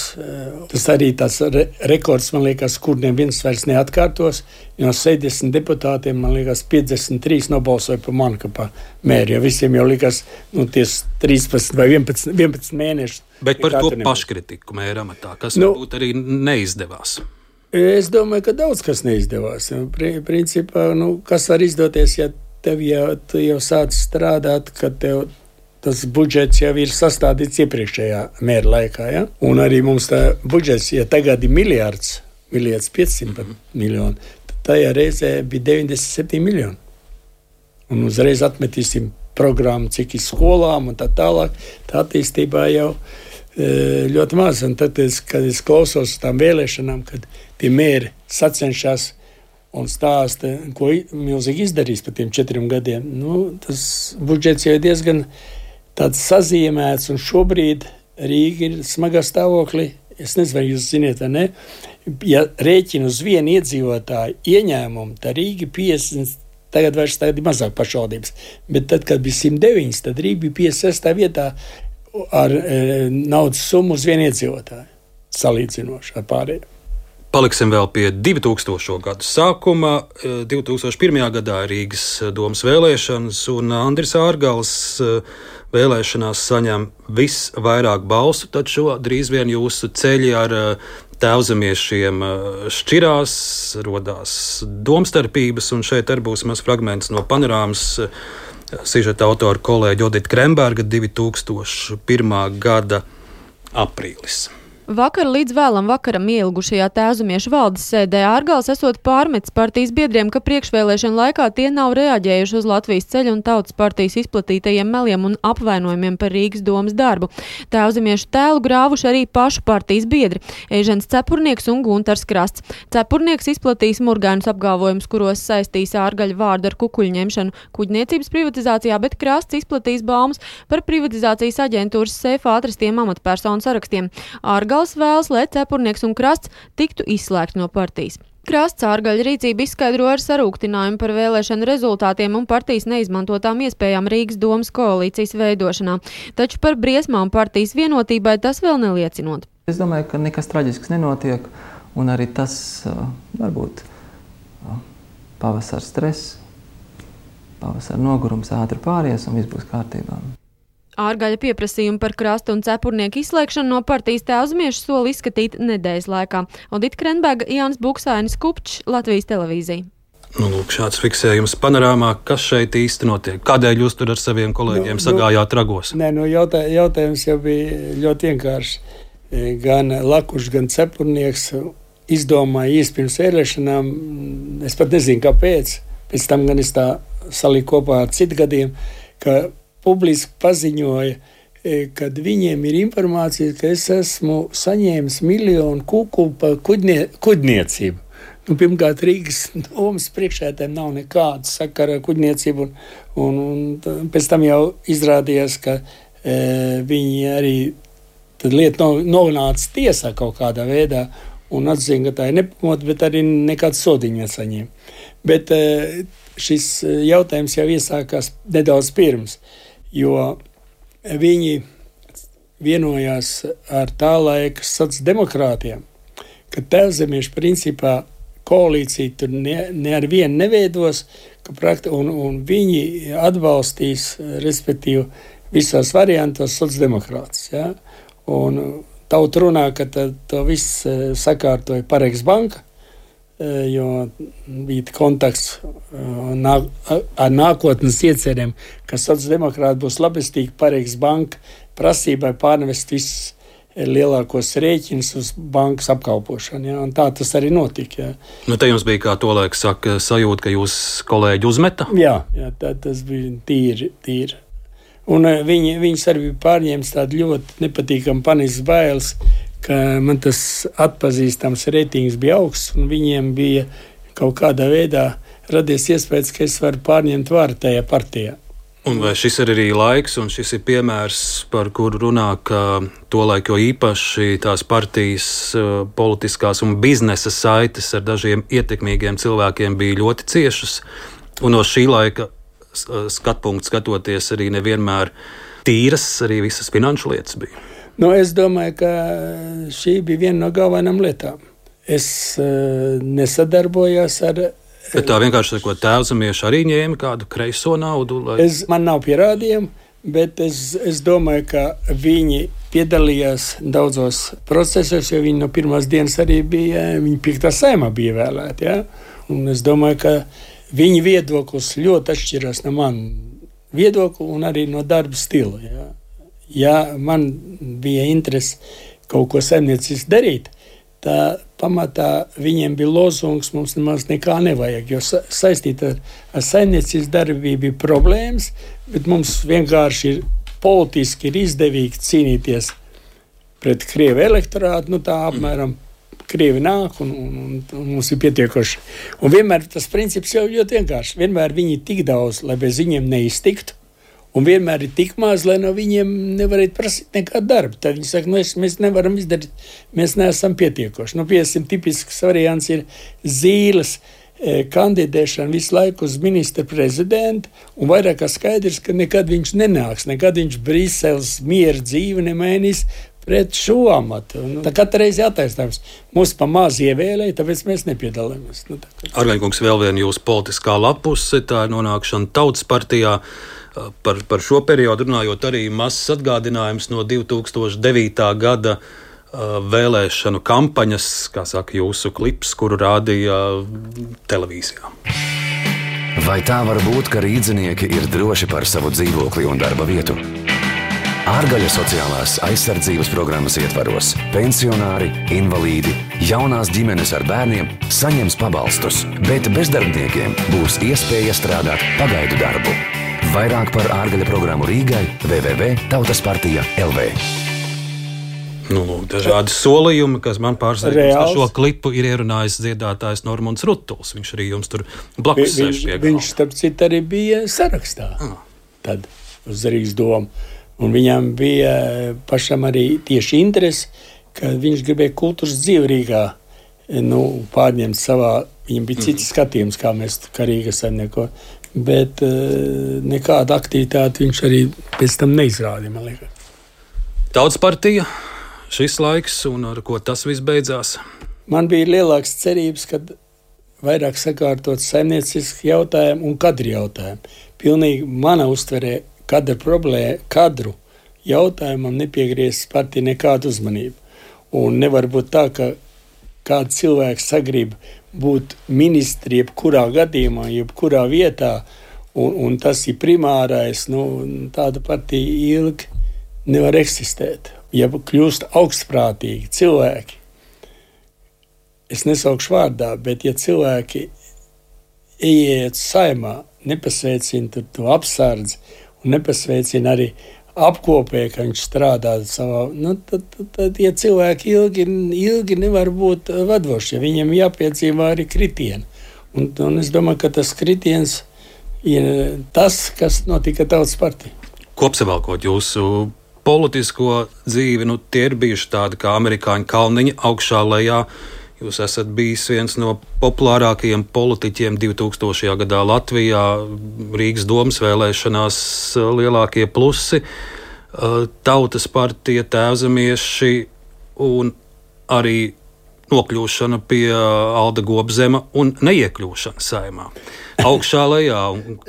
tas arī tāds re- rekords, man liekas, kur neviens vairs neatkārtos. No sešdesmit deputātiem, man liekas, piecdesmit trīs nobalsoja par mani, kā par mēri, jo visiem jau likās, nu, ties trīspadsmit vai vienpadsmit, vienpadsmit mēneši. Bet par to paškritiku mēra amatā, kas nu, varbūt arī neizdevās? Es domāju, ka daudz kas neizdevās. Principā, nu, kas var izdoties, ja tev jau, tu jau sāc strādāt, kad tev tas budžets jau ir sastādīts iepriekšējā mēra laikā. Ja? Un arī mums tā budžets, ja tagad ir miljards, miljards piecsimt mm-hmm. miljoni, tad tajā reizē bija deviņdesmit septiņi miljoni. Un uzreiz atmetīsim programmu, cik ir skolām un tā tālāk. Tā attīstībā jau e, ļoti maz. Un tad, es, kad es klausos tām vēlēšanām, kad tie mēri sacenšas un stāsta, ko milzīgi izdarīs par tiem četriem gadiem, nu, tas budžets jau ir diezgan tāds sazīmēts, un šobrīd Rīga ir smagā stāvoklī. Es nezinu, vai jūs ziniet, vai ne. Ja rēķina uz vienu iedzīvotāju ieņēmumu, tad Rīga piecdesmit, tagad vairs tagad ir mazāk pašvaldības, bet tad, kad bija simt deviņi, tad Rīga bija piecdesmit sestā vietā ar e, naudas summu uz vienu iedzīvotāju, salīdzinoši ar pārējiem. Paliksim vēl pie divtūkstošo gadu sākuma. divtūkstoš pirmajā gadā Rīgas domas vēlēšanas, un Andris Ārgals vēlēšanās saņem visvairāk balsu, taču drīz vien jūsu ceļi ar tēvzemiešiem šķirās, rodās domstarpības, un šeit arī būs maz fragments no panorāmas sižeta autora kolēģa Odita Kremberga divtūkstoš pirmā gada aprīlis. Vakar līdz vēlam vakaram ielgušajā tēvzemiešu valdes sēdē Ārgals esot pārmetis partijas biedriem, ka priekšvēlēšana laikā tie nav reaģējuši uz Latvijas ceļa un tautas partijas izplatītajiem meliem un apvainojumiem par Rīgas domas darbu. Tēvzemiešu tēlu grāvuši arī pašu partijas biedri – Eižens Cepurnieks un Guntars Krasts. Cepurnieks izplatīs murgainus apgalvojumus, kuros saistīs Ārgaļa vārdu ar kukuļņemšanu kuģniecības privatizācijā, bet Krasts izplatīs baumas par privatizācijas aģentūras seifā atrastiem amatpersonu sarakstiem. Ārgals Ārgals vēlas, lai Cepurnieks un Krasts tiktu izslēgti no partijas. Krasts Ārgaļa rīcību izskaidro ar sarūktinājumu par vēlēšanu rezultātiem un partijas neizmantotām iespējām Rīgas domas koalīcijas veidošanā, taču par briesmām partijas vienotībai tas vēl neliecinot. Es domāju, ka nekas traģisks nenotiek, un arī tas varbūt pavasara stress, pavasara nogurums ātri pāries un viss būs kārtībā. Ārgaļa pieprasījumu par Krasta un Cepurnieku izslēgšanu no partijas Tēvzemiešu soli izskatīt nedēļas laikā. Odita Krenberga, Jānis Buksainis, Kupčs, Latvijas televīzija. Nu, lūk, šāds fiksējums panorāmā. Kas šeit īsti notiek? Kādēļ jūs tur ar saviem kolēģiem nu, sagājāt ragos? Nē, nu jautā, jautājums jau bija ļoti vienkārši. Gan Lakušs, gan Cepurnieks izdomāja īsti pirms vēlēšanām. Es pat nezinu, kāpēc. Pēc tam gan es tā saliku kopā ar citu gadiem, ka publiski paziņoja, kad viņiem ir informācija, ka es esmu saņēmis miljonu kukulu par kuģnie, kuģniecību. Nu, pirmkārt, Rīgas domas priekšētēm nav nekāda sakara ar kuģniecību, un, un, un pēc tam jau izrādījās, ka e, viņi arī tad lieta nonāca tiesā kaut kādā veidā un atzina, ka tā ir nepamota, bet arī nekāds sodiņu nesaņēma. Bet e, šis jautājums jau iesākās nedaudz pirms, jo viņi vienojās ar tā laika sociāldemokrātiem, ka Tēvzemiešu principā koalīcija tur ne, ne ar vienu neveidos, ka prakti, un, un viņi atbalstīs, respektīvi, visos variantos sociāldemokrātus. Ja? Un tauta runā, ka tā, to viss sakārtoja Pareigas banka, jo bija kontakts ar nākotnes iecerēm, ka sociāldemokrāti būs labestīgi Pareigas banka prasībai pārnevest visus lielākos rēķinus uz bankas apkalpošanu. Ja? Un tā tas arī notika. Ja? Nu, te jums bija, kā to laik saka, sajūta, ka jūs kolēģi uzmeta? Jā, jā tā, tas bija tīri, tīri. Un viņi, viņus arī pārņēmis tādu ļoti nepatīkamu panisks bailes, ka man tas atpazīstams reitings bija augsts, un viņiem bija kaut kādā veidā radies iespējas, ka es varu pārņemt varu tajā partijā. Un vai šis ir arī laiks, un šis ir piemērs, par kuru runā, ka tolaik jo īpaši tās partijas politiskās un biznesa saites ar dažiem ietekmīgiem cilvēkiem bija ļoti ciešas, un no šī laika skatpunkts skatoties arī nevienmēr tīras, arī visas finanšu lietas bija? Nu, es domāju, ka šī bija viena no galvenām lietām. Es uh, nesadarbojos ar... Bet tā vienkārši ko Tēvzemieši arī ņēma kādu kreiso naudu? Lai... Es, man nav pierādījumi, bet es, es domāju, ka viņi piedalījās daudzos procesos, jo viņi no pirmās dienas arī bija, viņi piektā saimā bija vēlēti. Ja? Un es domāju, ka viņa viedoklis ļoti atšķirās no man viedokļa un arī no darba stila. Ja? Ja man bija interese kaut ko saimnieciski darīt, tā pamatā viņiem bija lozungs, mums nemaz nekā nevajag, jo sa- saistīt ar, ar saimniecisku darbību bija problēmas, bet mums vienkārši ir politiski ir izdevīgi cīnīties pret Krievu elektorātu, nu tā apmēram Krievi nāk un, un, un, un mums ir pietiekoši. Un vienmēr tas princips jau ļoti vienkārši, vienmēr viņi tik daudz, lai bez viņiem neiztiktu, un vienmēr ir tik maz, lai no viņiem nevarētu prasīt nekādu darbu. Tad viņi saka, nu, es, mēs nevaram izdarīt, mēs neesam pietiekoši. Nu, piemēram, tipisks variants ir Zīles e, kandidēšana visu laiku uz ministra prezidentu, un vairāk kā skaidrs, ka nekad viņš nenāks, nekad viņš Briseles miera dzīvi nemainīs pret šo amatu. Nu, tā katra reize jātaisnāms. Mūs pa maz ievēlēja, tāpēc mēs nepiedalāmies. Nu, Ārgaļkungs, vēl viena jūsu politiskā lapuse, tā ir nonākšana Tautas partijā. Par, par šo periodu runājot arī mazs atgādinājums no divi tūkstoši devītā gada uh, vēlēšanu kampaņas, kā saka jūsu klips, kuru rādīja televīzijā. Vai tā var būt, ka rīdzinieki ir droši par savu dzīvokli un darba vietu? Ārgaļa sociālās aizsardzības programmas ietvaros pensionāri, invalīdi, jaunās ģimenes ar bērniem saņems pabalstus, bet bezdarbniekiem būs iespēja strādāt pagaidu darbu. Vairāk par Ārgaļa programmu Rīgai w w w punkt tautas partija punkt l v. Nu, lūk, dažādi solījumi, kas man pārsteidz, ka šo klipu ir ierunājis dziedātājs Normunds Ruttuls. Viņš arī jums tur blakus sēž pie galda. Viņš, starp citu, arī bija sarakstā ah. tad uz Rīgas domu. Un viņam bija pašam arī tieši interesi, ka viņš gribēja kultūras dzīvi Rīgā nu, pārņemt savā, viņam bija cits skatījums, kā mēs kā Rīga saimnieko, bet uh, nekāda aktivitāte viņš arī pēc tam neizrādīja, man liekas. Tautas partija, šis laiks un ar ko tas viss beidzās? Man bija lielāks cerības, kad vairāk sakārtot saimnieciski jautājumu un kadru jautājumu. Pilnīgi mana uztverē kadru problēmu, kadru jautājumam nepiegriezis partija nekādu uzmanību. Un nevar būt tā, ka kāds cilvēks sagrib būt ministri jebkurā gadījumā, jebkurā vietā, un, un tas ir primārais, nu, tāda partija ilgi nevar eksistēt. Ja kļūst augstprātīgi cilvēki, es nesaukšu vārdā, bet ja cilvēki ieiet saimā, nepasveicina to apsardzi un nepasveicina arī apkopē, ka viņš strādā savā, nu, tad, tad, tad ja cilvēki ilgi, ilgi nevar būt vadošie, viņiem jāpiedzīvā arī kritieni. Un, un es domāju, ka tas kritiens ir tas, kas notika Tautas partija. Kopsavilkot jūsu politisko dzīvi, nu, tie ir bijuši tādi kā amerikāņu kalniņi augšā lejā. Jūs esat bijis viens no populārākajiem politiķiem divtūkstošajā gadā Latvijā, Rīgas domas vēlēšanās lielākie plusi, Tautas partija, Tēvzemieši un arī nokļūšana pie Alda Gobzema un neiekļūšana saimā. Augšā lejā.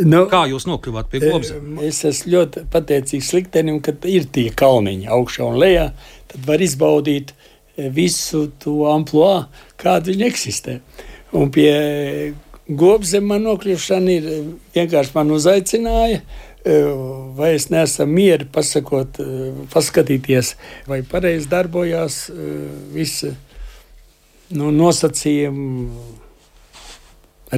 Nu, kā jūs nokļuvāt pie Gobzema? Es esmu ļoti pateicīgs liktenim, ka ir tie kalniņi augšā un lejā, tad var izbaudīt visu to amploā, kāda viņa eksistē. Un pie Gobzema nokļūšana ir vienkārši man uzaicināja, vai es neesam mieri pasakot, paskatīties, vai pareizi darbojās visi nu, nosacījumi,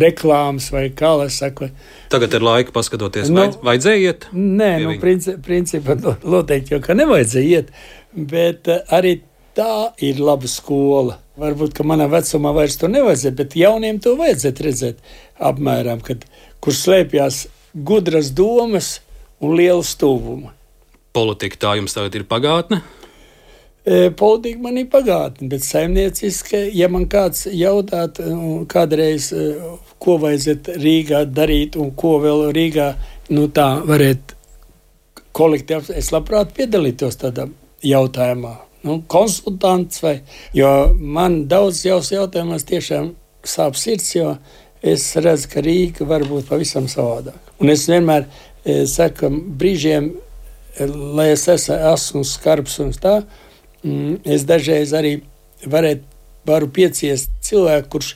reklāmas vai kā lai saka. Tagad ir laika paskatoties, nu, vajadzēja iet? Nē, nu, princi, principā noteikti jau, ka nevajadzēja iet, bet arī tā ir laba skola. Varbūt, ka manā vecumā vairs to nevajadzētu, bet jauniem to vajadzētu redzēt apmēram, kad, kur slēpjās gudras domas un liela stūvuma. Politika tā jums tagad ir pagātne? E, politika man ir pagātne, bet saimnieciski, ja man kāds jautāt kādreiz, ko vajadzētu Rīgā darīt un ko vēl Rīgā, nu tā varētu kolektīvi, es labprāt piedalītos tādā jautājumā. Nu, konsultants vai, jo man daudz jautājumos tiešām sāp sirds, jo es redzu, ka Rīga var būt pavisam savādāk. Un es vienmēr e, saku, brīžiem, lai es esmu, esmu skarbs un tā, mm, es dažreiz arī varētu, varu pieciest cilvēku, kurš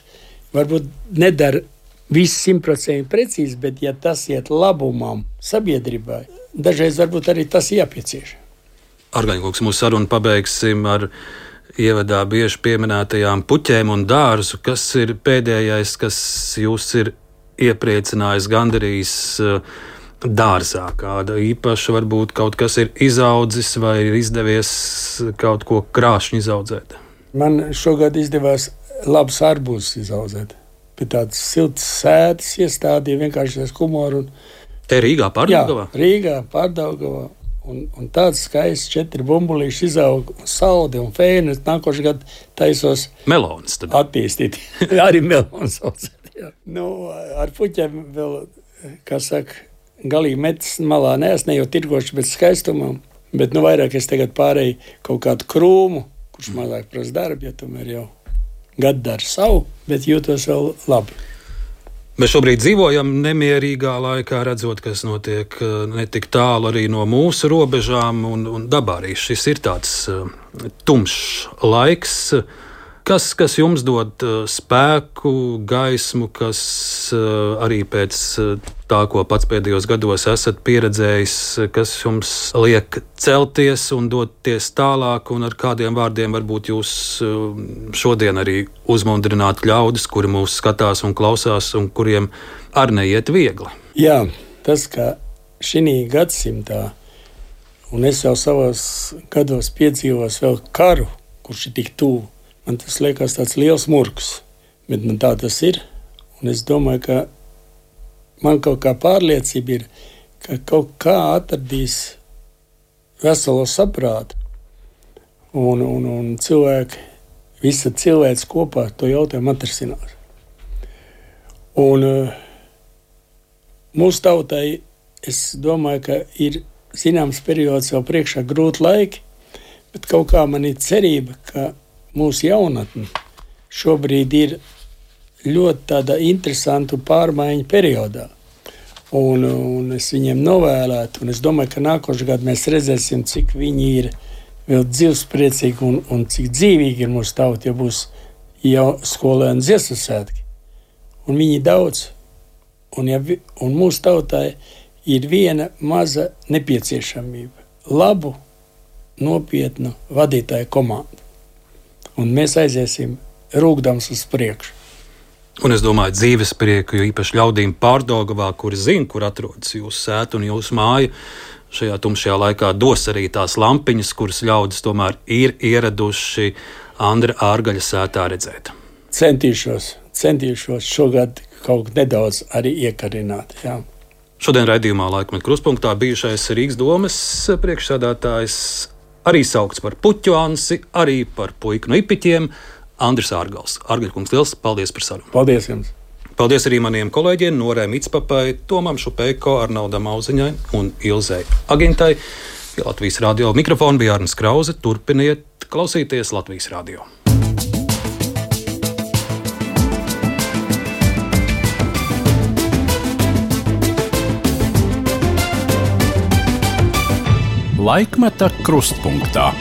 varbūt nedara visu simtprocentīgi precīzi, bet ja tas iet labumam sabiedrībai, dažreiz varbūt arī tas jāpiecieš. Argaņkungs, mūsu sarunu pabeigsim ar ievadā bieži pieminētajām puķēm un dārzu. Kas ir pēdējais, kas jūs ir iepriecinājis, gandarījis dārzā? Kāda īpaša varbūt kaut kas ir izaudzis vai ir izdevies kaut ko krāšņi izaudzēt? Man šogad izdevās labs arbūzus izaudzēt. Pie tādas siltas sētas iestādīja vienkārši ar humoru. Un... Te Rīgā, Pārdaugavā? Jā, Rīgā, Pārdaugavā. Un, un tāds skaists četri bumbulīši izaug, saudi un fēni. Nākošais gads taisos melonas tad. Attīstīt. Arī melonas audzēt. Nu, ar puķiem vēl, kā saka, galīgi metas malā neesmu, ne jau tirgoši, bet skaistumam. Bet nu vairāk es tagad pārēju kaut kādu krūmu, kurš mazāk prasa darbu, ja tomēr jau gadu dara savu, bet jūtos vēl labi. Mēs šobrīd dzīvojam nemierīgā laikā, redzot, kas notiek ne tik tālu arī no mūsu robežām, un, un dabā arī šis ir tāds uh, tumšs laiks, kas, kas jums dod uh, spēku, gaismu, kas uh, arī pēc uh, tā, ko pats pēdējos gados esat pieredzējis, kas jums liek celties un doties tālāk, un ar kādiem vārdiem varbūt jūs uh, šodien arī uzmundrināt ļaudis, kuri mūs skatās un klausās, un kuriem arī neiet viegli. Jā, tas, ka šī gadsimtā, un es jau savos gados piedzīvos vēl karu, kurš ir tik tuvu, man tas liekas tāds liels murgs, bet man tā tas ir, un es domāju, ka man kaut kā pārliecība ir, ka kaut kā atradīs veselo saprātu un, un, un cilvēki, visa cilvēks kopā to jautājumu atrisinās. Un uh, mūsu tautai, es domāju, ka ir zināms periods vēl priekšā grūti laiki, bet kaut kā man ir cerība, ka mūsu jaunatne šobrīd ir ļoti tāda interesanta pārmaiņu periodā. Un, un es viņiem novēlētu, un es domāju, ka nākošais gads mēs redzēsim, cik viņi ir vēl dzīvespriecīgi un, un cik dzīvīgi ir mūsu tauta, ja būs jau skolēni dziesmu svētki. Un viņi daudz, un, ja, un mūsu tautai ir viena maza nepieciešamība – labu, nopietnu vadītāju komandu. Un mēs aiziesim rūgdams uz priekšu. Un es domāju, dzīves prieku, jo īpaši ļaudīm Pārdaugavā, kuri zina, kur atrodas jūsu sēta un jūsu māja, šajā tumšajā laikā dos arī tās lampiņas, kuras ļaudis tomēr ir ieraduši Andra Ārgaļa sētā redzēt. Centīšos, centīšos šogad kaut nedaudz arī iekarināt, jā. Šodien raidījumā Laikmeta Krustpunktā bijušais Rīgas domes priekšsēdētājs, arī saukts par puķu Ansi, arī par puiku no Ipiķiem, Andris Ārgals. Ārgaļkungs, liels paldies par sarunu. Paldies jums. Paldies arī maniem kolēģiem Norē Mitspapai, Tomam Šupeiko, Arnaudam Auziņai un Ilzei Agintai. Pie Latvijas radio mikrofona bija Arnis Krause. Turpiniet klausīties Latvijas radio. Laikmeta Krustpunktā.